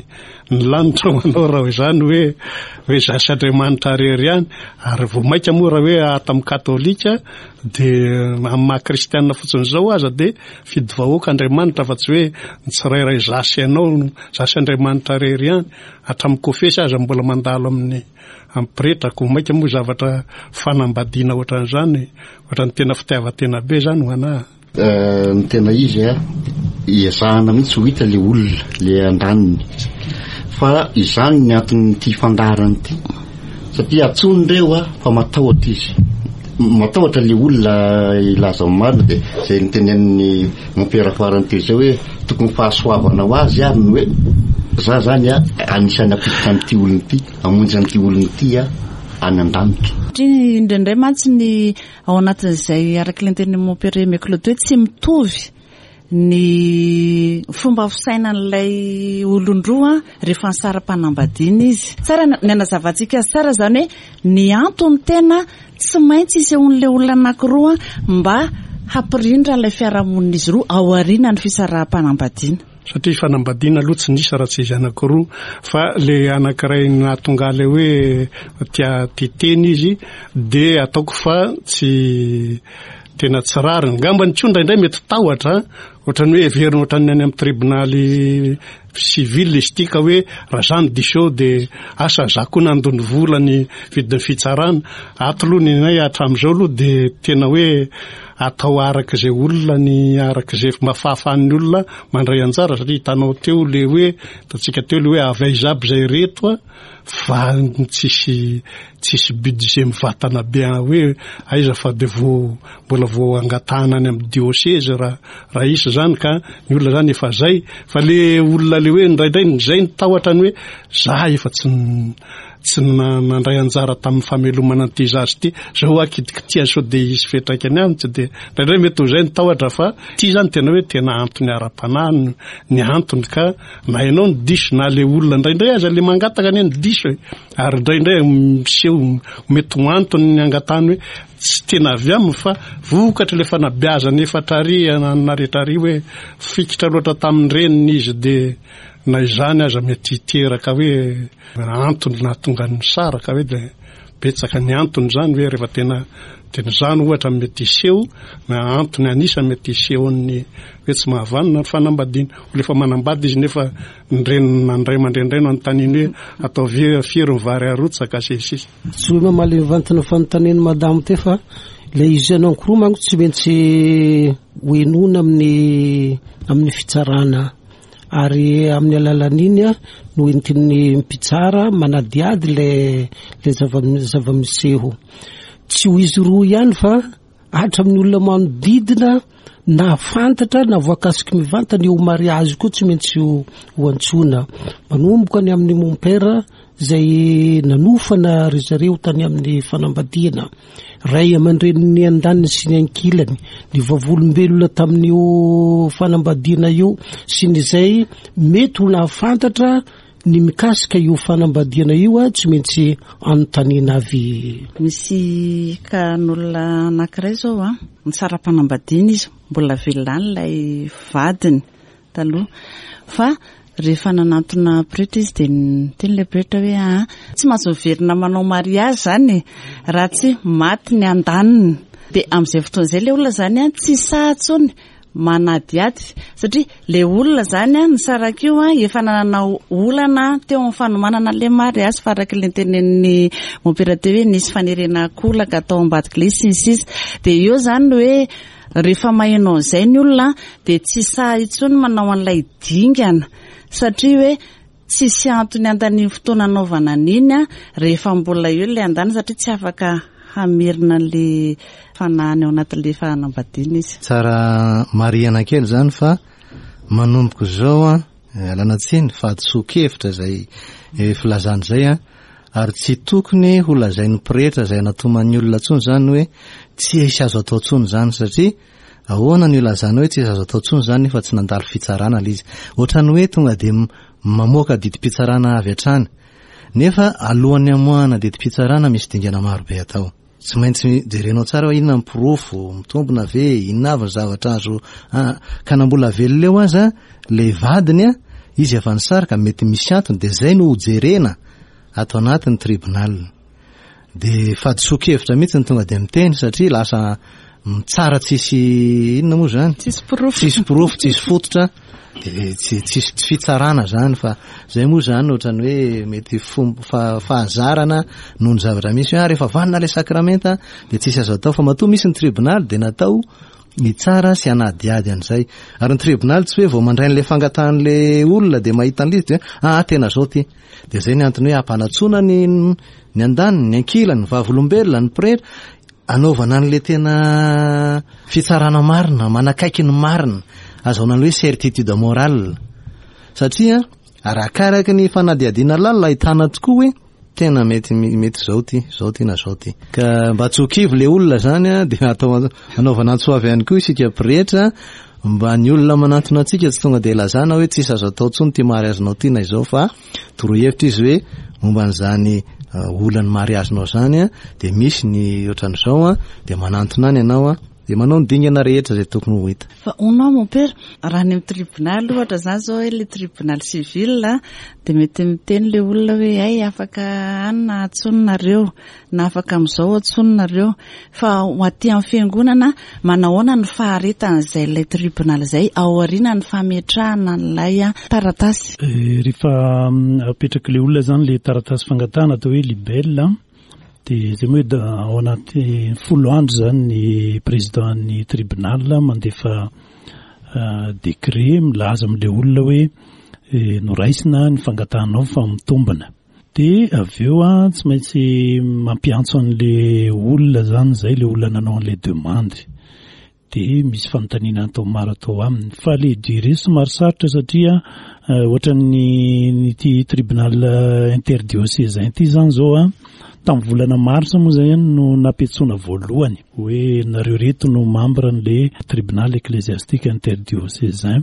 ny lanitra ho anao raha izany hoe hoe za sy Andriamanitra irery ihany ary vao maika moa raha hoe ato amin'ny katolika dia amin'ny maha kristianina fotsiny izao aza dia Fidy vahoaka Andriamanitra fa tsy hoe ny tsirairay za sy ianao, za sy Andriamanitra irery ihany. Hatramin'ny kofesy aza mbola mandalo amin'ny amin'ny pretra koa maika moa zavatra fanambadiana ohatran'izany, ohatran'ny tena fitiavan-tena be izany ho anah. Ny tena izy a, ezahana mihitsy ho hita le olona, le andaniny. Fa izany ny anton'ity fandaharana ity. Satria antsoiny ireo a, fa matahotra izy. Matahotra le olona hilaza ny marina dia izay notenenin'ny mompera farany teo izay hoe tokony fahasoavana ho azy ary ny hoe za zany a anisan'ny hampiditra an'ity olona ity, hamonjy an'ity olona ity a any an-danitra. Satria indraindray mantsy ny ao anatin'izay araka ilay notenenin'ny mompera Aimé Claude hoe tsy mitovy ny fomba fisainan'ilay olon-droa rehefa nisara-panambadiana izy. Tsara ny anazavantsika azy tsara izany hoe ny antony tena tsy maintsy isehoan'ilay olona anankiroa mba hampirindra ilay fiarahamonin'izy roa aorianan'ny fisaraham-panambadiana. Satria fanambadiana aloha tsy nisy raha tsy izy anankiroa fa le anankiray nahatonga ilay hoe tia tia tena izy dia ataoko fa tsy Tena tsy rariny. Ngambany koa indraindray mety tahotra, ohatran'ny hoe heverina ohatran'ny any amin'ny tribonaly civil izy ity ka hoe raha za no diso eo dia asa za koa nandoa ny vola ny vidin'ny fitsarana. Ato aloha ny anay hatramin'izao aloha dia tena hoe atao araka izay olona ny araka izay mba fahafahan'ny olona mandray anjara satria hitanao teo le hoe hitantsika teo le hoe avy aiza aby izay reto a fa tsisy tsisy budget mivatana be hoe aiza fa de vao mbola vao angatahana any amin'ny diocèse raha raha hisy zany ka ny olona zany efa zay fa le olona le hoe indraindray zay ny tahotra ny hoe za efa tsy tsy nandray anjara tamin'ny famelomana an'ity zaza ity zao aho kitikitiha sao de hisy fiantraikany aminy tsy de indraindray mety ho zay ny tahotra fa ity zany tena hoe tena antony ara-panahy ny antony ka na ianao no diso na le olona indraindray aza le mangataka anie no diso e ary indraindray miseho mety ho antony ny angatahany hoe tsy tena avy aminy fa vokatry le fanabeazana efa trary na rehetra ary hoe fikitra loatra tamin'ny reniny izy de na izany aza mety hiteraka hoe antony nahatonga ny misaraka hoe de betsaka ny antony zany hoe rehefa tena tena izany ohatra mety hiseho na antony anisany mety hisehoan'ny hoe tsy mahavanona ny fanambadiana. Olona efa manambady izy nefa ny reniny na ny ray aman-dreny indray no anontaniany hoe ataovy firy ny vary arotsaka sy ny sisa. Tsy hoe mamaly mivantana fanontanian'i madamo teo fa ilay izy anankiroa manko tsy maintsy ho henoina amin'ny amin'ny fitsarana ary amin'ny alalan'iny no entin'ny mpitsara manadihady ilay ilay zava-miseho. Tsy ho izy roa ihany fa hatramin'ny olona manodidina na fantatra na voakasiky mivantana io mariazy koa tsy maintsy ho antsoina. Manomboka ny amin'ny mompera izay nanofana ry zareo tany amin'ny fanambadiana, ray aman-drenin'ny andaniny sy ny ankilany, ny vavolombelona tamin'io fanambadiana io sy ny izay mety ho nahafantatra ny mikasika io fanambadiana io tsy maintsy anontaniana avy. Misy cas-n'olona anankiray izao an, nisara-panambadiana izy, mbola velona any ilay vadiny taloha, fa rehefa nanantona pretra izy dia niteny ilay pretra hoe aa tsy mahazo miverina manao mariage izany e, raha tsy maty ny andaniny. Dia amin'izay fotoana izay ilay olona izany an, tsy sahy intsony manadihady satria le olona zany an nisaraka io an efa nanana olana teo amin'ny fanomanana le mariazy fa araka le notenenin'ny mompera teo hoe nisy fanerena ankolaka tao ambadika le izy sy ny sisa dia eo zany ny hoe rehefa maheno an'izay ny olona dia tsy sahy intsony manao an'ilay dingana satria hoe Tsisy antony handaniany fotoana hanaovana an'iny an, rehefa mbola eo ilay andaniny satria tsy afaka hamerina an'ilay fanahiny ao anatin'ilay fanambadiana izy. Tsara marihana kely izany fa manomboka izao an, ialana tsiny, fahadisoan-kevitra izay filazana izay an, ary tsy tokony ho lazain'ny pretra izay anatoman'ny olona intsony izany hoe tsy hisy azo atao intsony izany satria Ahoana no ilazana hoe tsy azo atao intsony izany nefa tsy nandalo fitsarana ilay izy? Ohatran'ny hoe tonga dia mamoaka didim-pitsarana avy hatrany. Nefa alohan'ny hamoahana didim-pitsarana misy dingana maro be atao. Tsy maintsy jerenao tsara hoe inona ny porofo, mitombina ve, inona avy ny zavatra azo ka na mbola velona eo aza ilay vadiny, izy efa nisaraka, mety misy antony dia izay no hojerena ato anatin'ny tribunal. Dia fahadisoan-kevitra mihitsy ny tonga dia miteny satria lasa mitsara tsisy inona moa izany? Tsisy porofo. Tsisy porofo, tsisy fototra, dia tsy tsisy tsy fitsarana izany fa izay moa izany ohatran'ny hoe mety fomba fa- fahazarana noho ny zavatra misy hoe ah rehefa vanona ilay sakramenta dia tsisy azo atao fa matoa misy ny tribonaly dia natao hitsara sy hanadihady an'izay. Ary ny tribonaly tsy hoe vao mandray an'ilay fangatahan'ilay olona dia mahita an'ilay izy dia hoe ah tena izao ity. Dia izay ny antony hoe hampanantsoina ny ny andaniny, ny ankilany, ny vavolombelona, ny pretra, anaovana an'ilay tena fitsarana marina, manakaiky ny marina, azahoana ny hoe certitude morale. Satria arakaraky ny fanadihadiana lalina ahitana tokoa hoe tena mety mety izao ity, izao ity na izao ity. Ka mba tsy ho kivy ilay olona izany dia atao anaovana antso avy ihany koa isika pretra Mba ny olona manantona antsika tsy tonga dia lazana hoe tsisy azo atao intsony ity mariazinao ity na izao fa toroy hevitra izy hoe momba an'izany olan'ny mariazinao izany dia misy ny ohatran'izao dia manantona any ianao. Dia manao ny dingana rehetra izay tokony ho hita. Fa hono aho mon père, raha any amin'ny tribonaly ohatra izany izao hoe ilay tribonaly civil dia mety miteny ilay olona hoe hay afaka any na antsoina nareo na afaka amin'izao antsoina nareo. Fa ho aty amin'ny fiangonana, manahoana ny faharetan'izay ilay tribonaly izay aorianan'ny fametrahana an'ilay taratasy? Rehefa apetrak'ilay olona izany ilay taratasy fangatahana atao hoe libelle, Dia izay moa hoe ao anaty folo andro izany ny président-n'ny tribunal mandefa décret milaza amin'ilay olona hoe noraisina ny fangatahanao fa mitombina. Dia avy eo tsy maintsy mampiantso an'ilay olona izany izay, ilay olona nanao an'ilay demande. Dia misy fanontaniana atao maro atao aminy. Fa le durée somary sarotra satria ohatran'ny ity tribunal interdiocésain ity izany izao an, tamin'ny volana marsa moa izay no nampiantsoana voalohany hoe nareo reto no membre an'le tribunal ecclésiastique interdiocésain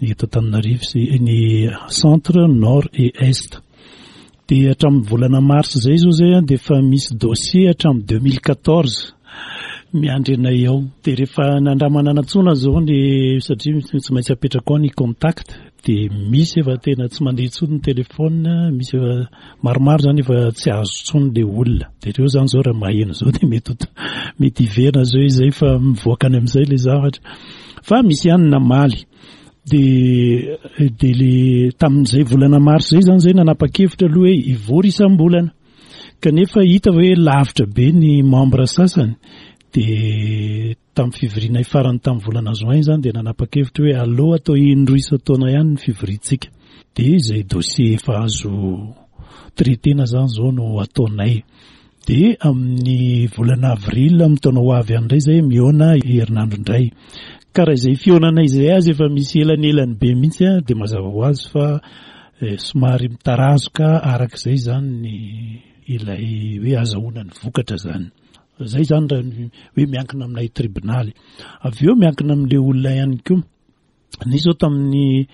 eto Antananarivo sy ny centre nord et est. Dia hatramin'ny volana mars izay izao izay dia efa misy dossier hatramin'ny 2014 miandry anay ao. Dia rehefa nandramana nantsoina izao ny satria tsy maintsy apetraka ao ny contact dia misy efa tena tsy mandeha intsony ny téléphone, misy efa maromaro izany efa tsy azo intsony ilay olona. Dia ireo izany izao raha maheno izao dia mety mety hiverina izao izy izay fa mivoaka any amin'izay ilay zavatra. Fa misy ihany namaly. Dia dia le tamin'izay volana mars izay izany izay nanapa-kevitra aloha hoe hivory isam-bolana. Kanefa hita hoe lavitra be ny membre sasany dia tamin'ny fivorianay farany tamin'ny volana juin izany dia nanapa-kevitra hoe aleo atao indroa isan-taona ihany ny fivoriantsika. Dia izay dossier efa azo traiter-na izany izao no ataonay. Dia amin'ny volana avril amin'ny taona ho avy any indray izay mihaona herinandro indray. Ka raha izay fihaonana izay aza efa misy elanelany be mihitsy dia mazava ho azy fa somary mitarazoka araka izay izany ny ilay hoe azahoana ny vokatra izany. Izay izany raha ny hoe miankina aminay tribonaly. Avy eo miankina amin'ilay olona ihany koa. Nisy zao tamin'ny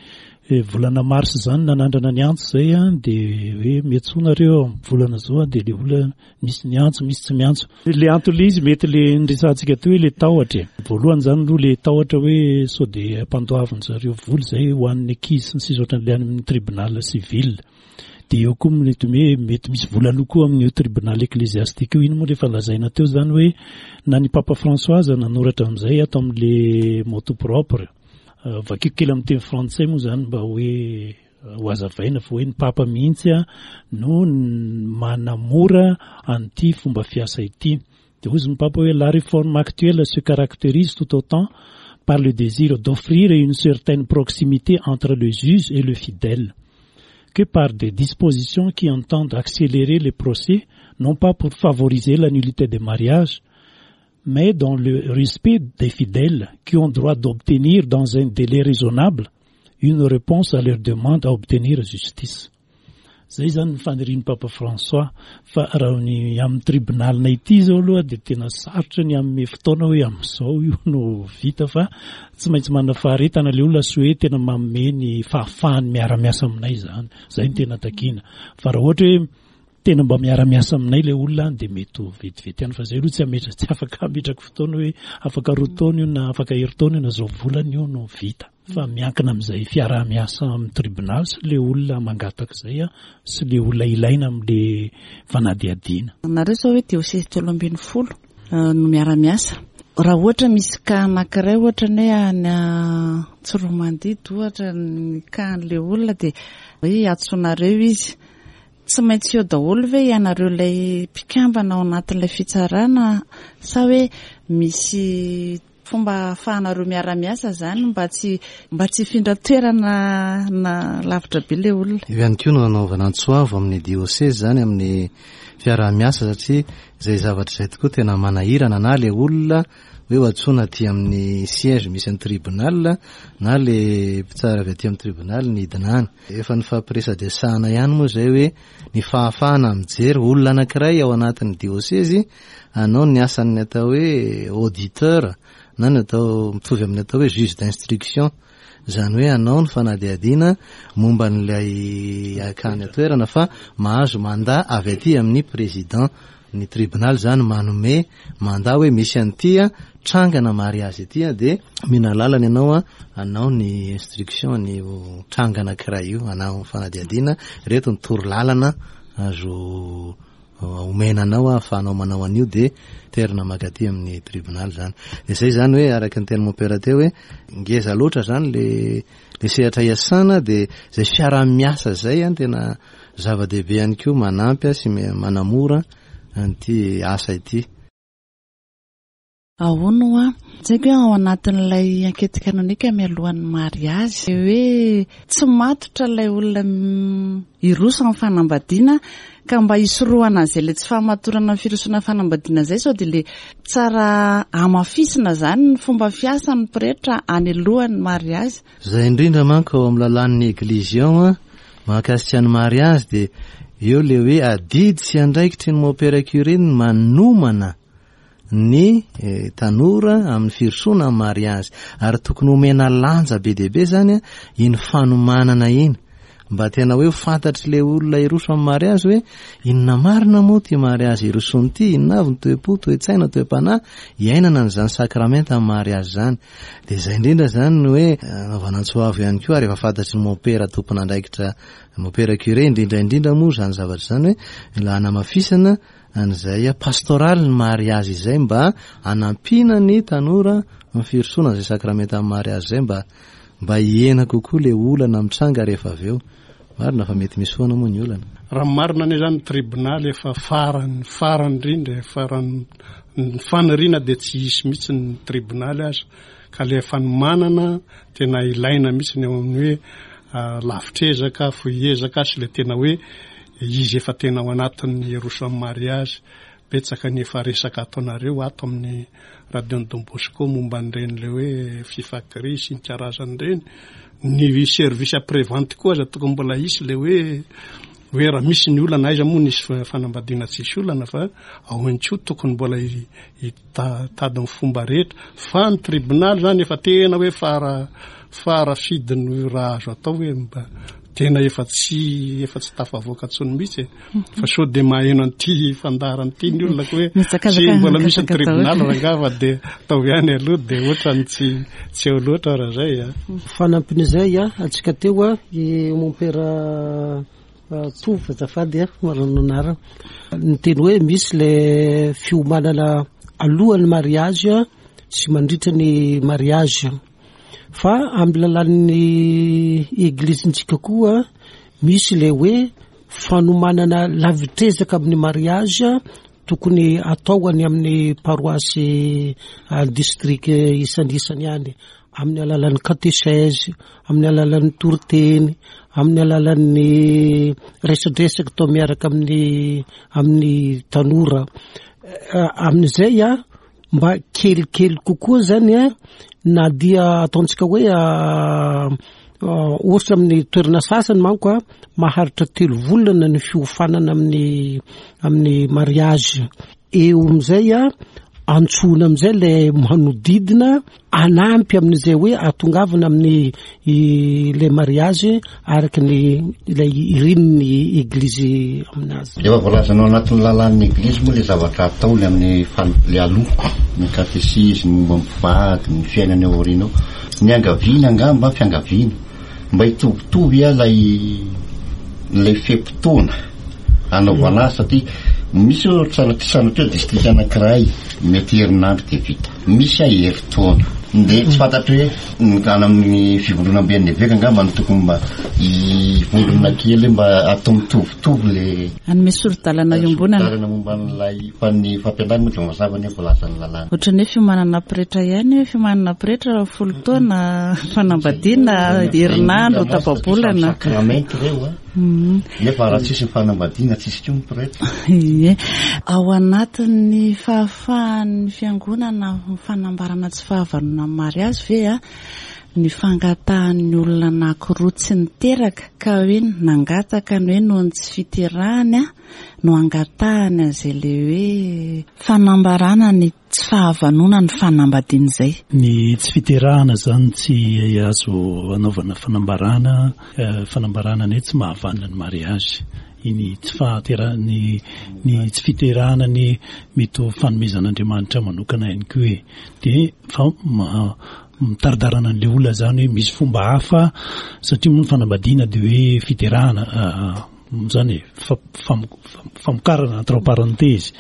volana mars izany nanandrana ny antso izay an, dia hoe miantsoa nareo amin'ny volana zao an, dia ilay olona misy niantso, misy tsy miantso. Ilay antony ilay izy mety ilay niresahantsika teo hoe ilay tahotra e. Voalohany izany aloha ilay tahotra hoe sao dia ampandoavin-dry zareo vola izay ho an'ny ankizy sy ny sisa ohatran'ilay any amin'ny tribunal civil. Dia eo koa mety hoe mety misy vola aloa koa amin'io tribunal ecclésiastique io. Iny moa rehefa lazaina teo izany hoe na ny Papa François aza nanoratra amin'izay ato amin'le motu propre. Vakiko kely amin'ny teny frantsay moa izany mba hoe ho hazavaina fa hoe ny Papa mihitsy no manamora an'ity fomba fiasa ity. Dia hoy ny Papa hoe la réforme actuelle se caractérise tout autant par le désir d'offrir une certaine proximité entre le juge et le fidèle que par des dispositions qui entendent accélérer les procès, non pas pour favoriser la nullité des mariages, mais dans le respect des fidèles qui ont droit d'obtenir dans un délai raisonnable une réponse à leur demande à obtenir justice. Zay izany ny fanirian'i Papa François fa raha ny amin'ny tribonalinay ity izao aloha dia tena sarotra ny hanome fotoana hoe amin'izao io no vita fa tsy maintsy manana faharetana ilay olona sy hoe tena manome ny fahafahany miara-miasa aminay izany. Izay no tena takiana. Fa raha ohatra hoe tena mba miara-miasa aminay ilay olona dia mety ho vetivety ihany fa izay aloha tsy hametra tsy afaka hametraka fotoana hoe afaka roa taona io na afaka herintaona io na izao volana io no vita. Fa miankina amin'izay fiaraha-miasa amin'ny tribonaly sy ilay olona mangataka izay sy ilay olona ilaina amin'ilay fanadihadiana. Nareo izao hoe diosezy 13 no miara-miasa. Raha ohatra misy cas anankiray ohatra ny hoe any Tsiroamandidy ohatra ny cas an'ilay olona dia hoe hiantsoanareo izy. Tsy maintsy eo daholo ve ianareo ilay mpikambana ao anatin'ilay fitsarana sa hoe misy Fomba ahafahanareo miara-miasa izany mba tsy mba tsy hifindra toerana na lavitra be ilay olona. Io ihany koa no nanaovana antso avo amin'ny diosezy izany amin'ny fiaraha-miasa satria izay zavatra izay tokoa tena manahirana na ilay olona hoe ho antsoina aty amin'ny siège misy ny tribunal na ilay mpitsara avy aty amin'ny tribunal ny hidina any. Efa nifampiresadresahana ihany moa izay hoe ny fahafahana mijery olona anankiray ao anatin'ny diosezy hanao ny asan'ny atao hoe auditeur na ny atao mitovy amin'ny atao hoe juge d'instruction, izany hoe hanao ny fanadihadiana momba an'ilay akany an-toerana fa mahazo mandat avy aty amin'ny président. Ny tribonaly izany manome mandat hoe misy an'ity trangana mariazy ity dia omena alalana ianao hanao ny instruction an'io tranga anankiray io, hanao fanadihadiana, ireto ny toro lalana azo omena anao ahafahanao manao an'io dia terina mankaty amin'ny tribonaly izany. Dia izay izany hoe araka ny tenin'i Mompera teo hoe ngeza loatra izany le le sehatra iasana dia izay fiaraha-miasa izay an tena zava-dehibe ihany koa manampy sy manamora an'ity asa ity. Ahoana hoa? Tsy haiko hoe ao anatin'ilay enquête canonique mialohan'ny mariazy hoe tsy matotra ilay olona hiroso amin'ny fanambadiana ka mba hisorohana an'izay ilay tsy fahamatorana amin'ny firosoana fanambadiana izay sao dia ilay tsara hamafisina izany ny fomba fiasan'ny pretra any alohan'ny mariazy. Izay indrindra manko ao amin'ny lalàn'ny Eglizy ao an, mahakasika ny mariazy dia eo ilay hoe adidy sy andraikitry ny Mompera Curé ny manomana ny tanora amin'ny firosoana amin'ny mariazy ary tokony homena lanja be dia be izany iny fanomanana iny mba tena hoe ho fantatr'ilay olona hiroso amin'ny mariazy hoe inona marina moa ity mariazy hirosoana ity, inona avy ny toe-po, toe-tsaina, toe-panahy iainana an'izany sakramenta amin'ny mariazy izany. Dia izay indrindra izany no hoe anaovana antso avo ihany koa ary efa fantatry ny mompera tompon'andraikitra, mompera curé indrindra indrindra moa izany zavatra izany hoe mila hanamafisana an'izay pastoraly ny mariazy izay mba hanampiana ny tanora amin'ny firosoana izay sakramentan'ny mariazy izay mba mba hihena kokoa ilay olana mitranga rehefa avy eo. Marina fa mety misy foana moa ny olana. Raha ny marina anie izany ny tribonaly efa farany farany indrindra e, farany ny faniriana dia tsy hisy mihitsy ny tribonaly aza ka ilay fanomanana tena ilaina mihitsy ny ao amin'ny hoe lavitr'ezaka, fohy ezaka sy ilay tena hoe izy efa tena ao anatin'ny hiroso amin'ny mariazy. Betsaka ny efa resaka ataonareo ato amin'ny Radio-n'i Don Bosco momba an'ireny ilay hoe Fifakri sy ny karazany ireny. Ny service après vente koa aza tokony mbola hisy ilay hoe hoe raha misy ny olana, aiza moa nisy fanambadiana tsisy olana fa ao ihany koa tokony mbola hitady ny fomba rehetra. Fa ny tribonaly izany efa tena hoe fara fara fidiny raha azo atao hoe mba tena efa tsy efa tsy tafavoaka intsony mihitsy e. Fa sao dia maheno an'ity fandaharana ity ny olona ko hoe tsy mbola misy ny tribunal rangaha fa dia ataovy ihany aloha dia ohatrany tsy tsy eo loatra raha zay a. Fanampin'izay a, antsika teo a, i mompera Tovo azafady a, marina ny anarana, niteny hoe misy le fiomanana alohan'ny mariage sy mandritra ny mariage. Fa amin'ny lalàn'ny eglizintsika koa misy ilay hoe fanomanana lavitr'ezaka amin'ny mariage tokony atao any amin'ny paroasy district isan'isany any amin'ny alalan'ny katesèse, amin'ny alalan'ny toriteny, amin'ny alalan'ny resadresaka atao miaraka amin'ny amin'ny tanora. Amin'izay a mba kelikely kokoa zany a na dia ataontsika hoe ohatra amin'ny toerana sasany manko a maharitra telo volana ny fiofanana amin'ny amin'ny mariage eo amizay a antsoina amizay le manodidina Hanampy amin'izay hoe hahatongavana amin'ny ilay mariazy araka ny ilay irin'ny eglizy aminazy. Efa voalazanao anatin'ny lalàn'ny eglizy moa ilay zavatra ataony amin'ny ilay aloha, ny katesizy, ny momba ny mpivady, ny fiainana ao aoriana ao. Ny angaviana angamba, fiangaviana, mba hitovitovy ilay ilay fe-potoana anaovana azy satria misy ohatra sanatria hoe distrika anankiray mety herinandro dia vita. Misy aho herintaona. Dia tsy fantatro hoe ny any amin'ny fivondronamben'ny eveka angamba no tokony mba hivondrona kely mba atao mitovitovy le Hanome sori-dalana iombonana. Sori-dalana momba an'ilay fa ny fampianarana moa dia mazava ny hoe voalazan'ny lalàna. Ohatran'ny hoe fiomanana pretra ihany hoe fiomanana pretra folo taona, fanambadiana herinandro, tapa-bolana. Sakramenta ireo a. Nefa raha tsisy ny fanambadiana tsisy koa ny pretra. Ie. Ao anatin'ny fahafahan'ny fiangonana amin'ny fanambarana tsy fahavanona amin'ny mariazy ve a, ny fangatahan'ny olona anankiroa tsy niteraka ka hoe nangataka ny hoe noho ny tsy fiterahany a no angatahany an'izay le hoe fanambarana ny tsy fahavanona ny fanambadiana izay. Ny tsy fiterahana izany tsy azo anaovana fanambarana, fanambarana ny hoe tsy mahavanona ny mariazy. iny tsy fahatera ny ny tsy fiterahana ny mety ho fanomezan'Andriamanitra manokana ihany koa e. Dia fa mitaridarana an'ilay olona izany hoe misy fomba hafa satria moa ny fanambadiana dia hoe fiterahana izany e, famokarana entre parenthèses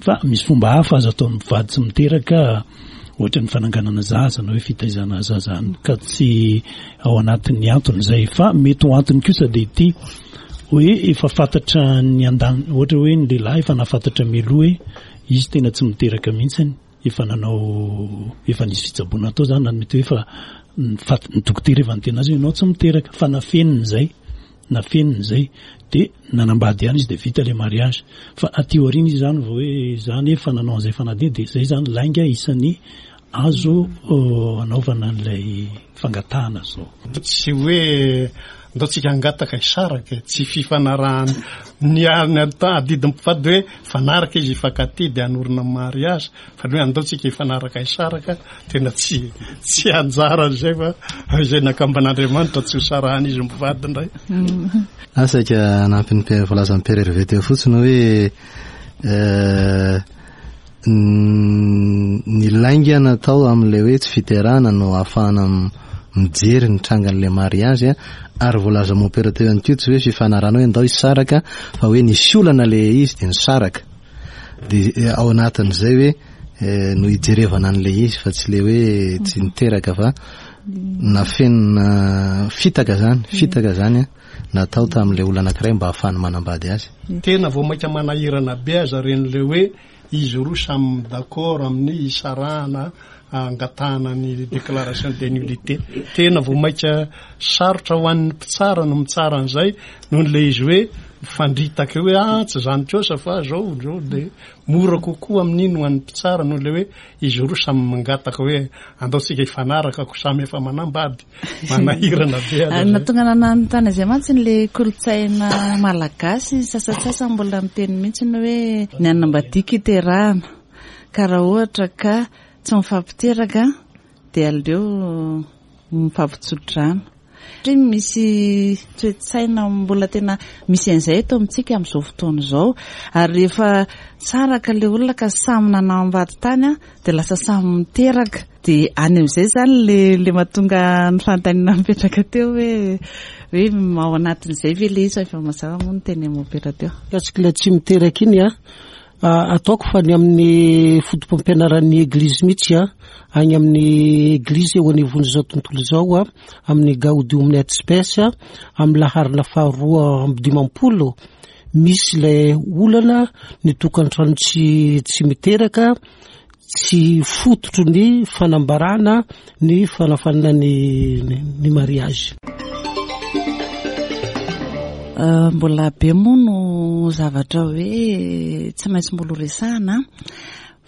fa misy fomba hafa azo atao mivady tsy miteraka ohatra ny fananganana zaza na hoe fitaizana zaza any ka tsy ao anatin'ny antony izay fa mety ho antony kosa dia ity hoe efa fantatra ny andan ohatra hoe ny lehilahy efa nahafantatra mialoha hoe izy tena tsy miteraka mihitsiny efa nanao efa nisy fitsaboana atao zany na mety hoe efa ny dokotera efa niteny azy hoe ianao tsy miteraka fa nafeniny izay nafeniny izay dia nanambady ihany izy dia vita ilay mariage fa aty aoriana izy zany vao hoe zany efa nanao an'izay fanadihadiana dia izay zany lainga isan'ny azo anaovana an'ilay fangatahana zao. Tsy hoe ndao tsika hangataka hisaraka e, tsy fifanarahana ny ny adidin'ny mpivady hoe fanaraka izy hifankatia dia hanorina mariage fa ny hoe andao tsika hifanaraka hisaraka tena tsy tsy anjara izay fa izay nakamban'Andriamanitra tsy ho sarahan'izy mivady indray. Ah, saika hanampy ny voalazan'i Père Hervé teo fotsiny hoe eh, ny lainga natao amin'ilay hoe tsy fiterahana no ahafahana mijery ny trangan'ilay mariage ary voalaza mompera teo ihany koa tsy hoe fifanarahana hoe andao hisaraka fa hoe nisy olana ilay izy dia nisaraka dia eh, ao anatin'izay hoe eh, no hijerevana an'ilay izy fa tsy ilay hoe tsy niteraka fa nafenina fitaka zany fitaka zany natao tamin'ilay olona anankiray mba hahafahany manambady azy. Tena vao mainka manahirana be aza ireny ilay hoe izy roa samy d'accord amin'ny hisarahana angatahana ny déclaration de nullité. Tena vao mainka sarotra ho an'ny mpitsara no mitsara an'izay noho ilay izy hoe mifandritaka eo hoe ah tsy izany kosa fa zao zao dia mora kokoa amin'iny ho an'ny mpitsara noho ilay hoe izy roa samy mangataka hoe andao tsika hifanaraka ko samy efa manambady. Manahirana be aza zay. Nahatonga anah nanontany an'izay mantsy le kolontsaina malagasy sasantsasany mbola miteny mihitsy ny hoe ny hanambadiako iterahana ka raha ohatra ka tsy mifampiteraka dia aleo mifampitsodrano satria misy toe-tsaina mbola tena misy an'izay eto amintsika amin'izao fotoana izao ary rehefa saraka le olona ka samy nanambady tany dia lasa samy miteraka Dia any amin'izay izany le le mahatonga ny fanontaniana mipetraka teo hoe hoe ao anatin'izay ve le izy fa efa mazava moa ny teny mompera teo. Mikasika ilay tsy miteraka iny an, ataoko fa ny amin'ny foto-pampianaran'ny Eglizy mihitsy an, any amin'ny Eglizy eo anivon'izao tontolo izao an, amin'ny Gaudium et Spes amin'ny laharana faharoa amby 50, misy ilay olana ny tokantrano tsy tsy miteraka, tsy fototry ny fanambarana ny fanafanana ny ny mariage. Euh, mbola be moa no zavatra hoe tsy maintsy mbola horesahana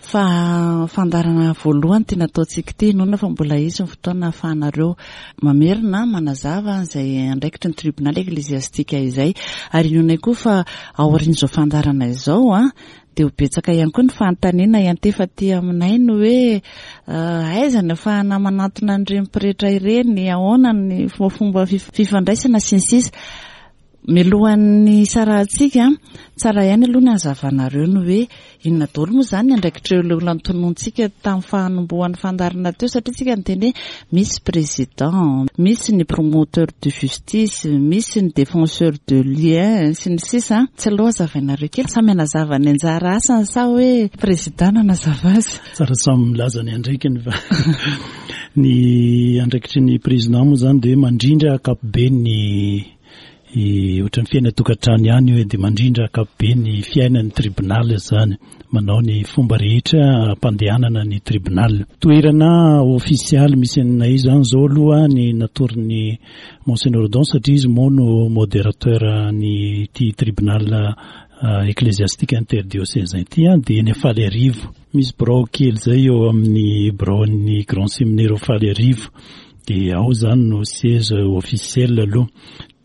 fa fandaharana voalohany ty nataontsika ity inoana fa mbola hisy ny fotoana ahafahanareo mamerina manazava izay andraikitry ny tribonaly eklesiastika izay ary inoanay koa fa aorian'izao fandaharana izao a Dia ho betsaka ihany koa ny fanontaniana hiantefa aty aminay ny hoe aiza ny ahafahana manantona an'ireny pretra ireny, ahoana ny fomba fifandraisana sy ny sisa. Mialohan'ny hisarahantsika, tsara ihany aloha ny hazavanareo ny hoe inona daholo moa izany ny andraikitr'ireo olona notononintsika tamin'ny fanombohan'ny fandaharana teo satria tsika niteny hoe misy président, misy ny promoteur de justice, misy ny défenseur de lien sy ny sisa. Tsy aleo hazavainareo kely, samy hanazava ny anjara asany sa hoe président no hanazava azy? Tsara samy milaza ny andraikiny fa ny andraikitry ny président moa izany dia hoe mandrindra ankapobeny ny Ohatran'ny fiainan-tokantrano ihany io e, dia mandrindra ankapobeny ny fiainan'ny tribunal izany, manao ny fomba rehetra hampandehanana ny tribunal. Toerana ofisialy misy anay izany izao aloha ny natoron'ny Monseigneur Odon satria izy moa no modérateur ny ity tribunal ecclésiastique interdiocésain ity dia eny Faliarivo. Misy birao kely izay eo amin'ny biraon'ny Grand Séminaire ao Faliarivo. Dia ao izany no siège officiel aloha.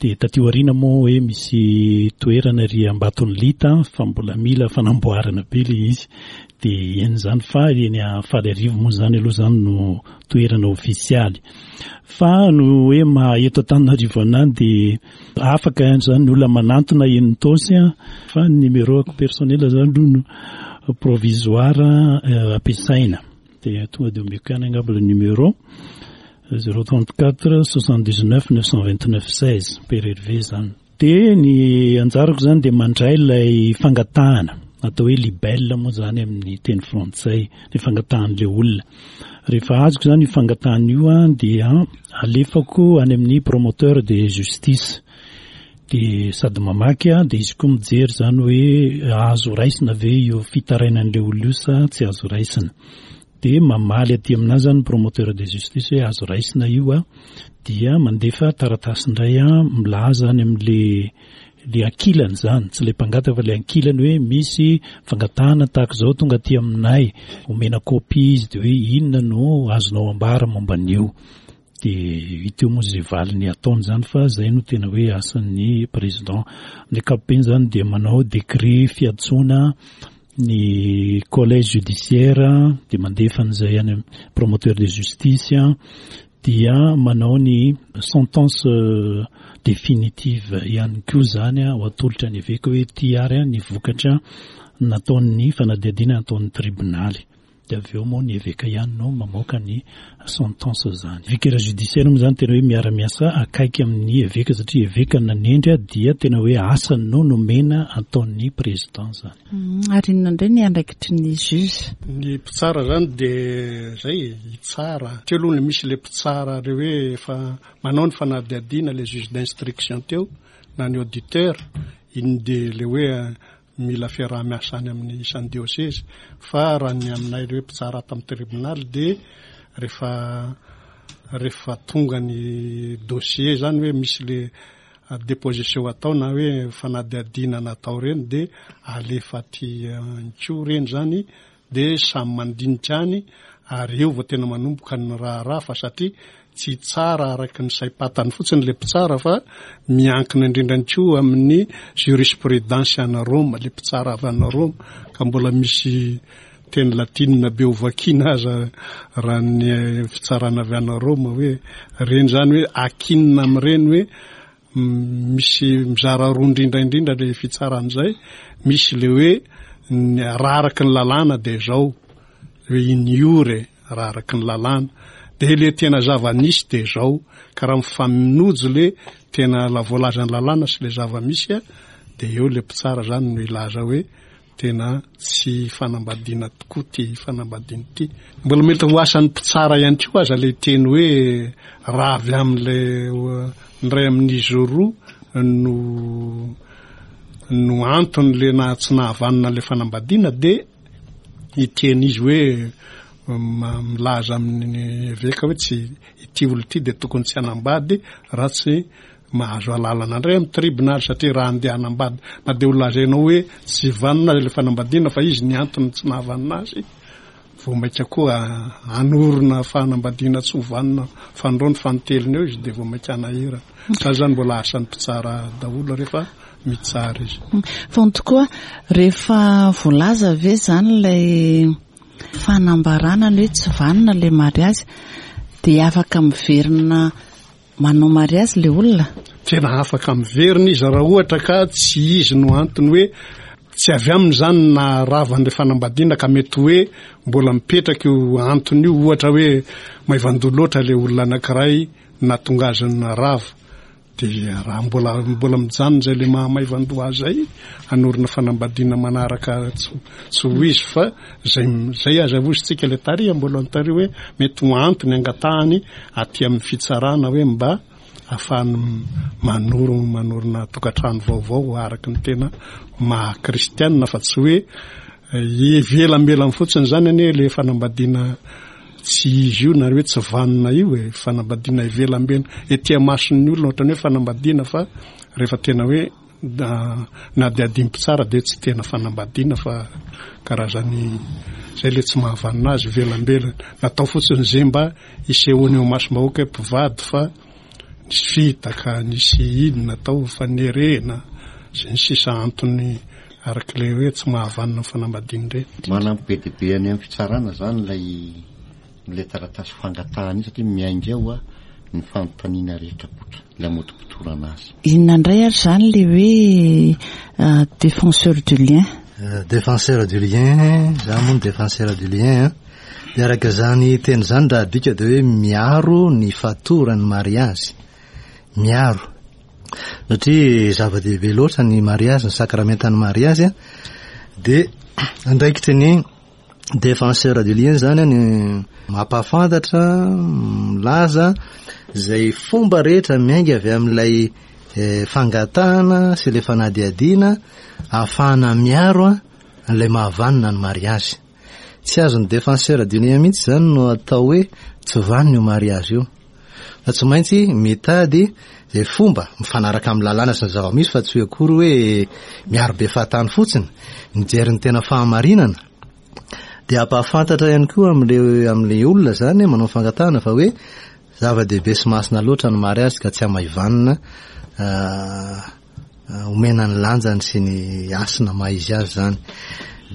Dia taty aoriana moa hoe misy toerana ery Ambatonilita fa mbola mila fanamboarana be ilay izy. Dia eny izany fa eny Faliarivo moa izany aloha izany no toerana ofisialy. Fa no hoe maha eto Antananarivo anah dia afaka ihany izany ny olona manantona eny Itaosy fa ny numéro-ako personnel izany aloha no provisoire ampiasaina. Dia tonga dia omeko ihany angamba ilay numéro. 034 79 929 16 Père Hervé zany. Dia ny anjarako zany dia mandray ilay fangatahana atao hoe libelle moa zany amin'ny teny frantsay ny fangatahan'ilay olona. Rehefa azoko zany io fangatahana io an dia alefako any amin'ny promoteur de justice. Dia sady mamaky an dia izy koa mijery zany hoe azo raisina ve io fitarainan'ilay olona io sa tsy azo raisina. Dia mamaly aty aminà zany ny promoteur de justice hoe azo raisina io a, dia mandefa taratasy indray a milaza any amin'le le ankilany zany, tsy le mpangataka fa le ankilany hoe misy fangatahana tahaka izao tonga aty aminay, omena copie izy dia hoe inona no azonao ambara momba an'io. Dia hita eo moa izay valiny ataony izany fa izay no tena hoe asan'ny président. Amin'ny ankapobeny izany dia manao décret fiantsoana ny collège judiciaire dia mandefa an'izay any amin'ny promoteur de justice dia manao ny sentence définitive ihany koa izany ho atolotra ny eveka hoe ity ary ny vokatra nataon'ny fanadihadiana nataon'ny tribonaly. Dia avy eo moa ny eveka ihany no mamoaka ny sentence zany. Vicaire judiciaire moa zany tena hoe miara-miasa akaiky amin'ny eveka satria eveka no nanendry dia tena hoe asany no nomena ataon'ny président zany. Ary inona indray ny andraikitry ny juge? Ny mpitsara zany dia zay e, hitsara. Teo aloha no misy le mpitsara le hoe efa manao ny fanadihadiana le juge d'instruction teo na ny auditeur, iny dia le hoe Mila fiaraha-miasa any amin'ny isan'ny diosezy fa raha ny aminay ireo mpitsara ato amin'ny tribonaly dia rehefa rehefa tonga ny dossier zany hoe misy le déposition atao na hoe fanadihadiana natao ireny dia alefa aty koa ireny zany Dia samy mandinika any ary eo vao tena manomboka ny raharaha fa satria tsy tsara araka ny saim-patany fotsiny ilay mpitsara fa miankina indrindra ihany koa amin'ny jurisprudence any Roma, ilay mpitsara avy any Roma ka mbola misy teny latinina be ho vakiana aza raha ny fitsarana avy any Roma hoe ireny izany hoe akinina amin'ireny hoe Misy mizara roa indrindra indrindra le fitsarana izay, misy le hoe raha araky ny lalàna dia izao, hoe in iure raha araky ny lalàna, dia le tena zava-nisy dia izao, ka raha mifanojo le tena voalazan'ny lalàna sy le zava-misy dia eo le mpitsara zany no hilaza hoe Tena tsy fanambadiana tokoa ity fanambadiana ity. Mbola mety ho asan'ny mpitsara ihany koa aza ilay teny hoe raha avy amin'ilay ny iray amin'izy roa no no antony le na tsy nahavanona ilay fanambadiana dia hiteny izy hoe milaza amin'ny eveka hoe tsy ity olona ity dia tokony tsy hanambady raha tsy Mahazo alalana indray amin'ny tribonaly satria raha andeha hanambady na dia ho lazainao hoe tsy vanona aza ilay fanambadiana fa izy ny antony tsy nahavanona azy, vao mainka koa hanorina fanambadiana tsy ho vanona fanindroany fanintelony eo izy dia vao mainka hanahirana. Izany izany mbola asan'ny mpitsara daholo rehefa mitsara izy. Fa ny tokoa rehefa voalaza ve izany ilay fanambarana ny hoe tsy vanona ilay mariazy dia afaka miverina Manao mariazy le olona? Tena afaka miverina izy raha ohatra ka tsy izy no antony hoe tsy avy aminy izany no naharava an'ilay fanambadiana ka mety hoe mbola mipetraka io antony io, ohatra hoe maivan-doha loatra ilay olona anankiray nahatonga azy narava. Dia raha mbola mbola mijanona izay ilay maha maivan-doha azy izay, hanorina fanambadiana manaraka tsy tsy ho izy fa izay izay aza hozy tsika ilay tary am-boalohany tary hoe mety ho antony angatahany aty amin'ny fitsarana hoe mba ahafahany manoro manorina tokantrano vaovao araka ny tena maha kristianina fa tsy hoe ivelambelany fotsiny izany anie le fanambadiana tsy izy io na hoe tsy vanona io e, fanambadiana ivelambelany ety amason'ny olona ohatran'ny hoe fanambadiana fa rehefa tena hoe Nadihadian'ny mpitsara dia tsy tena fanambadiana fa karazany izay ilay tsy mahavanona azy ivelambelany. Natao fotsiny izay mba hisehoany eo imasom-bahoaka hoe mpivady fa nisy fitaka, nisy inona tao, fanerena sy ny sisa antony araka ilay hoe tsy mahavanona ny fanambadiana ireny. Manampy be dia be any amin'ny fitsarana izany ilay ilay taratasy fangatahana iny satria miainga ao ny fanontaniana rehetra apoitra, ilay amotopotorana azy. Inona indray ary izany ilay hoe défenseur du lien? Défenseur du lien, za moa ny défenseur du lien an. Dia araka izany teny izany raha adika dia hoe miaro ny fatoran'ny mariazy. Miaro. Satria zava-dehibe loatra ny mariazy, ny sakramentan'ny mariazy an, dia andraikitry ny défenseur du lien izany ny mampahafantatra, milaza izay fomba rehetra miainga avy amin'ilay eh, fangatahana sy ilay fanadihadiana ahafahana miaro an'ilay mahavanona ny mariazy. Tsy azon'ny défenseur du lien mihitsy izany no atao hoe tsy vanona io mariazy io. Fa tsy maintsy mitady izay fomba mifanaraka amin'ny lalàna sy ny zava-misy fa tsy hoe akory hoe miaro be fahatany fotsiny, mijery ny tena fahamarinana. Dia hampahafantatra ihany koa amin'ilay amin'ilay olona izany manao fangatahana fa hoe zava-dehibe sy masina loatra ny mariazy ka tsy hamaivanina Omena ny lanjany sy ny hasina maha izy azy izany.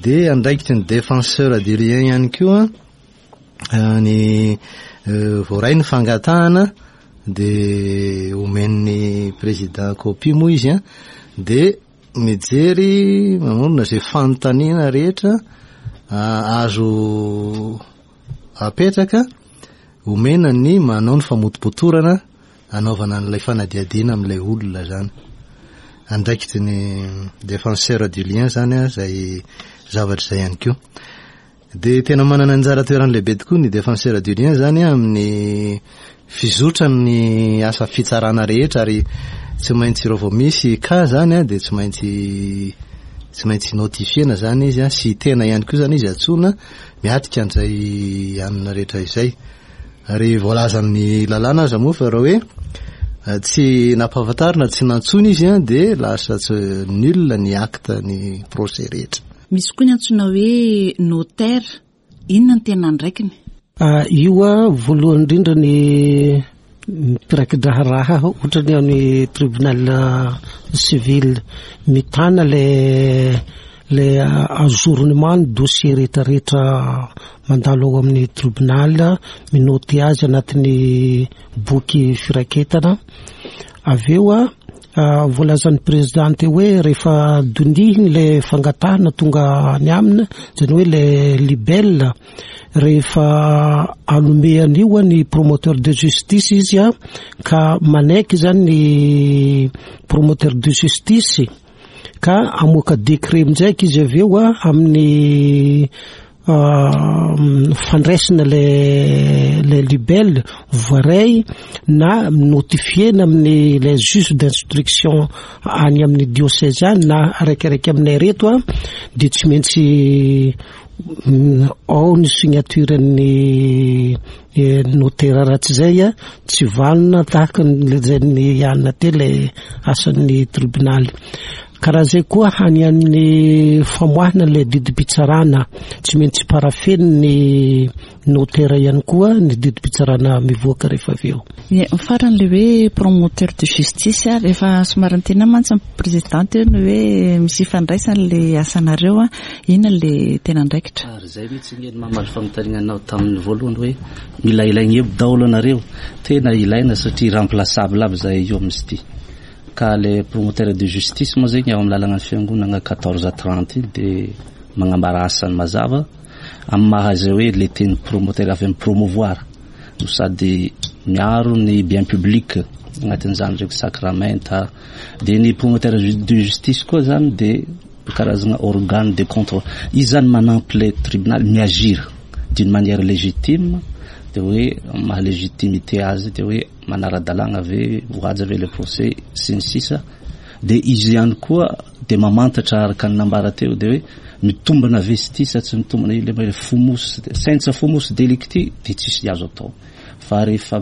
Dia andraikitry ny défenseur du lien ihany koa ny voaray ny fangatahana dia omen'ny président copie moa izy an, dia mijery mamorona izay fanontaniana rehetra azo apetraka omena ny manao ny famotopotorana anaovana an'ilay fanadihadiana amin'ilay olona izany. Andraikitry ny défenseur du lien izany izay zavatra izay ihany koa. Dia tena manana anjara toerana lehibe tokoa ny défenseur du lien izany amin'ny fizotran'ny asa fitsarana rehetra ary tsy maintsy raha vao misy cas izany dia tsy maintsy tsy maintsy notifiena izany izy sy tena ihany koa izany izy antsoina miatrika an'izay anona rehetra izay. Ary voalazan'ny lalàna aza moa fa raha hoe eh, tsy nampahafantarina, tsy nantsoina izy an, dia lasa tsy nul ny acte ny procès rehetra. Misy koa ny antsoina hoe notaire, inona ny tena andraikiny? Ah, io a, voalohany indrindra ny mpiraiki-draharaha ohatra ny any tribunal civil mitana le le ajournement ny dossier rehetra rehetra mandalo ao amin'ny tribunal, mi-noter azy anatin'ny boky firaketana. Avy eo a, voalazan'ny président teo hoe rehefa dinihiny le fangatahana tonga any aminy, izany hoe le libelle, rehefa hanome an'io ny promoteur de justice izy a, ka manaiky izany ny promoteur de justice, ka hamoaka décret amin'izay izy avy eo a amin'ny fandraisana le le libelle voaray na notifiena amin'ny les juges d'instruction any amin'ny diocèse any na araikaraika aminay reto a dia tsy maintsy ao ny signature-n'ny notaire raha tsy izay a tsy vanona tahaka ny lazain'ny anona teo ilay asan'ny tribonaly. Ka raha izay koa any amin'ny famoahana ilay didim-pitsarana tsy maintsy parafen'ny notaire ihany koa ny didim-pitsarana mivoaka rehefa avy eo. Ny farany ilay hoe promoteur de justice, rehefa somary niteny ahy mantsy ny président teo ny hoe misy ifandraisany ilay asanareo, inona ilay tena andraikitra? Ary izay mihitsy anie no mamaly fanontaniana anao tamin'ny voalohany hoe mila ilaigna eo daholo anareo, tena ilaina satria irremplaçable aby zahay io amin'izy ity. Ka le promoteur de justice moa zegny ao amin'ny lalagna ny fiangonagna quatorze à trente iny dia magnambara asany mazava amin'ny maha izay hoe le teny promoteur avy amin'ny promouvoir no sady miaro ny bien public agnatin'izany ndraiky sakramenta dia ny promoteur de justice koa zany dia karazagna organe de contrôle izy zany manampy le tribunal mi-agir d'une manière légitime dia hoe maha légitimité azy dia hoe manara-dalàgna ve voahaja ve le procès sy ny sisa dia izy ihany koa dia mamantatra araka ny nambara teo dia hoe mitombina ve izy ity sa tsy mitombina ilay hoe fumus senza fumus delicti dia tsisy azo atao fa rehefa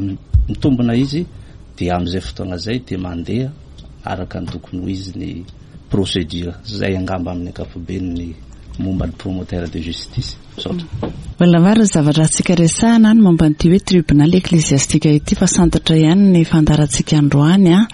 mitombina izy dia amin'izay fotoana izay dia mandeha araka ny tokony ho izy ny procédure zay angamba amin'ny ankapobeny ny momba ny promoteur de justice misaotra. Mbola maro ny zavatra azontsika resahina any momba an'ity hoe tribunal ecclesiastique ity fa santatra ihany ny fandaharantsika androany an.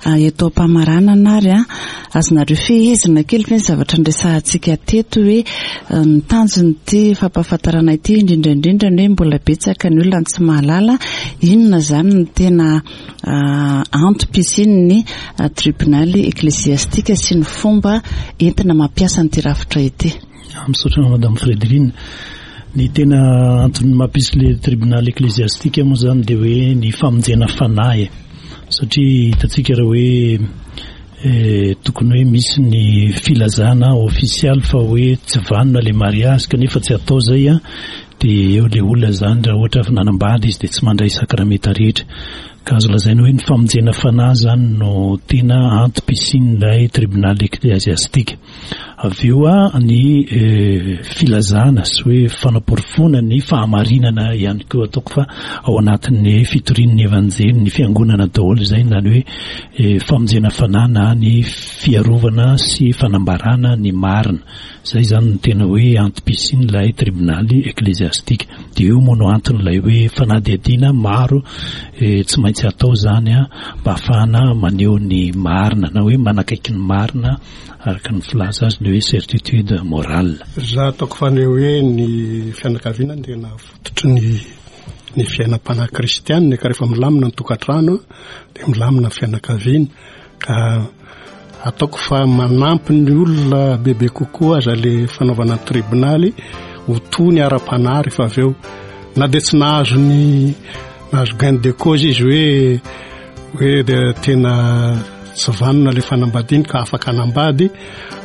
Ah, eto am-pamaranana ary an, azonareo fehezina kely ve ny zavatra niresahantsika teto hoe eh, ny tanjon'ity fampahafantarana ity indrindra indrindra ny hoe mbola betsaka ny olona tsy mahalala inona izany ny tena ah, antom-pisian'ny ah, tribunal ecclesiastique sy ny fomba entina mampiasa an'ity rafitra ity. Misaotra anao Madame Frédérine. Ny tena antony mampisy le tribunal ecclésiastique moa zany dia hoe ny famonjena fanahy e. Satria hitantsika raha hoe eh, tokony hoe misy ny filazana ofisialy fa hoe tsy vanona le mariage kanefa tsy atao zay a, dia eo le olona zany raha ohatra fa nanambady izy dia tsy mandray sakramenta rehetra. Ka azo lazaina hoe ny famonjena fanahy zany no tena antom-pisian'ilay tribunal ecclésiastique. Avy eo ny filazana sy hoe fanaporofoana ny fahamarinana ihany koa ataoko fa ao anatin'ny fitorian'ny evanjely ny fiangonana daholo izay na ny hoe famonjena fanahy na ny fiarovana sy fanambarana ny marina. Izay izany no tena hoe antom-pisian'ilay tribonaly ekleziastika. Dia io moa no anton'ilay hoe fanadihadiana maro tsy maintsy atao izany mba hahafahana maneho ny marina na hoe manakaiky ny marina Araka ny filaza azy ny hoe certitude morale. Za ataoko fa ny hoe ny fianakaviana no tena fototry ny ny fiainam-panahy kristianina ka rehefa milamina ny tokantrano dia milamina ny fianakaviana ka ataoko fa manampy ny olona bebe kokoa aza le fanaovana ny tribonaly ho tony ara-panahy rehefa avy eo na dia tsy nahazo ny nahazo gain de cause izy hoe hoe dia tena tsy vanona ilay fanambadiany ka afaka hanambady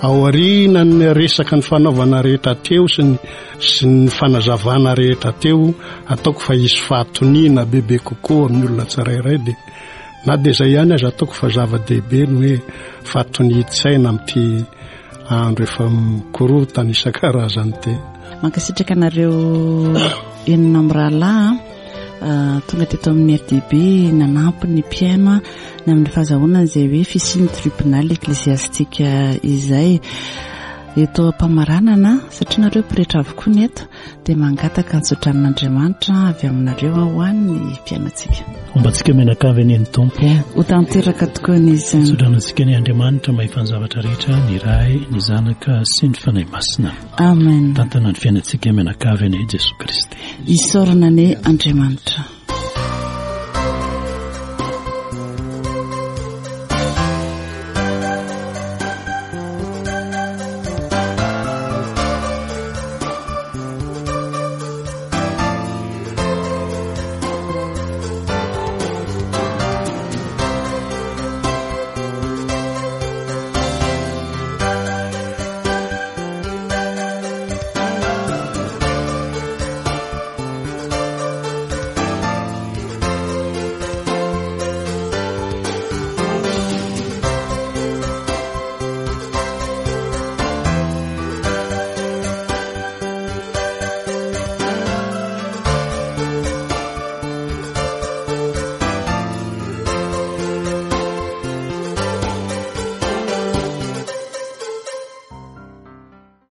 aorianan'ny resaka ny fanaovana rehetra teo sy ny sy ny fanazavana rehetra teo ataoko fa hisy fahatoniana bebe kokoa amin'ny olona tsirairay dia na dia izay ihany aza ataoko fa zava-dehibe ny hoe fahatonian-tsaina amin'ity andro efa mikorotana isan-karazany ity. Mankasitraka anareo enina mirahalahy Ah, tonga teto amin'ny RDB nanampy ny mpihaino ny amin'ny fahazahoana izay hoe fisian'ny tribunal ecclésiastique izay. Eto am-pamaranana, satria nareo pretra avokoa ny eto, dia mangataka ny tsodranon'Andriamanitra avy aminareo ho an'ny mpihainontsika. Homba antsika mianakavy anie ny Tompo. Ho tanteraka tokoa ny izany. Tsodrano antsika anie Andriamanitra mahefa ny zavatra rehetra, ny Ray, ny Zanaka sy ny Fanahy Masina. Amen. Tantana ny fiainantsika mianakavy anie Jesoa Kristy. Isaorana anie Andriamanitra.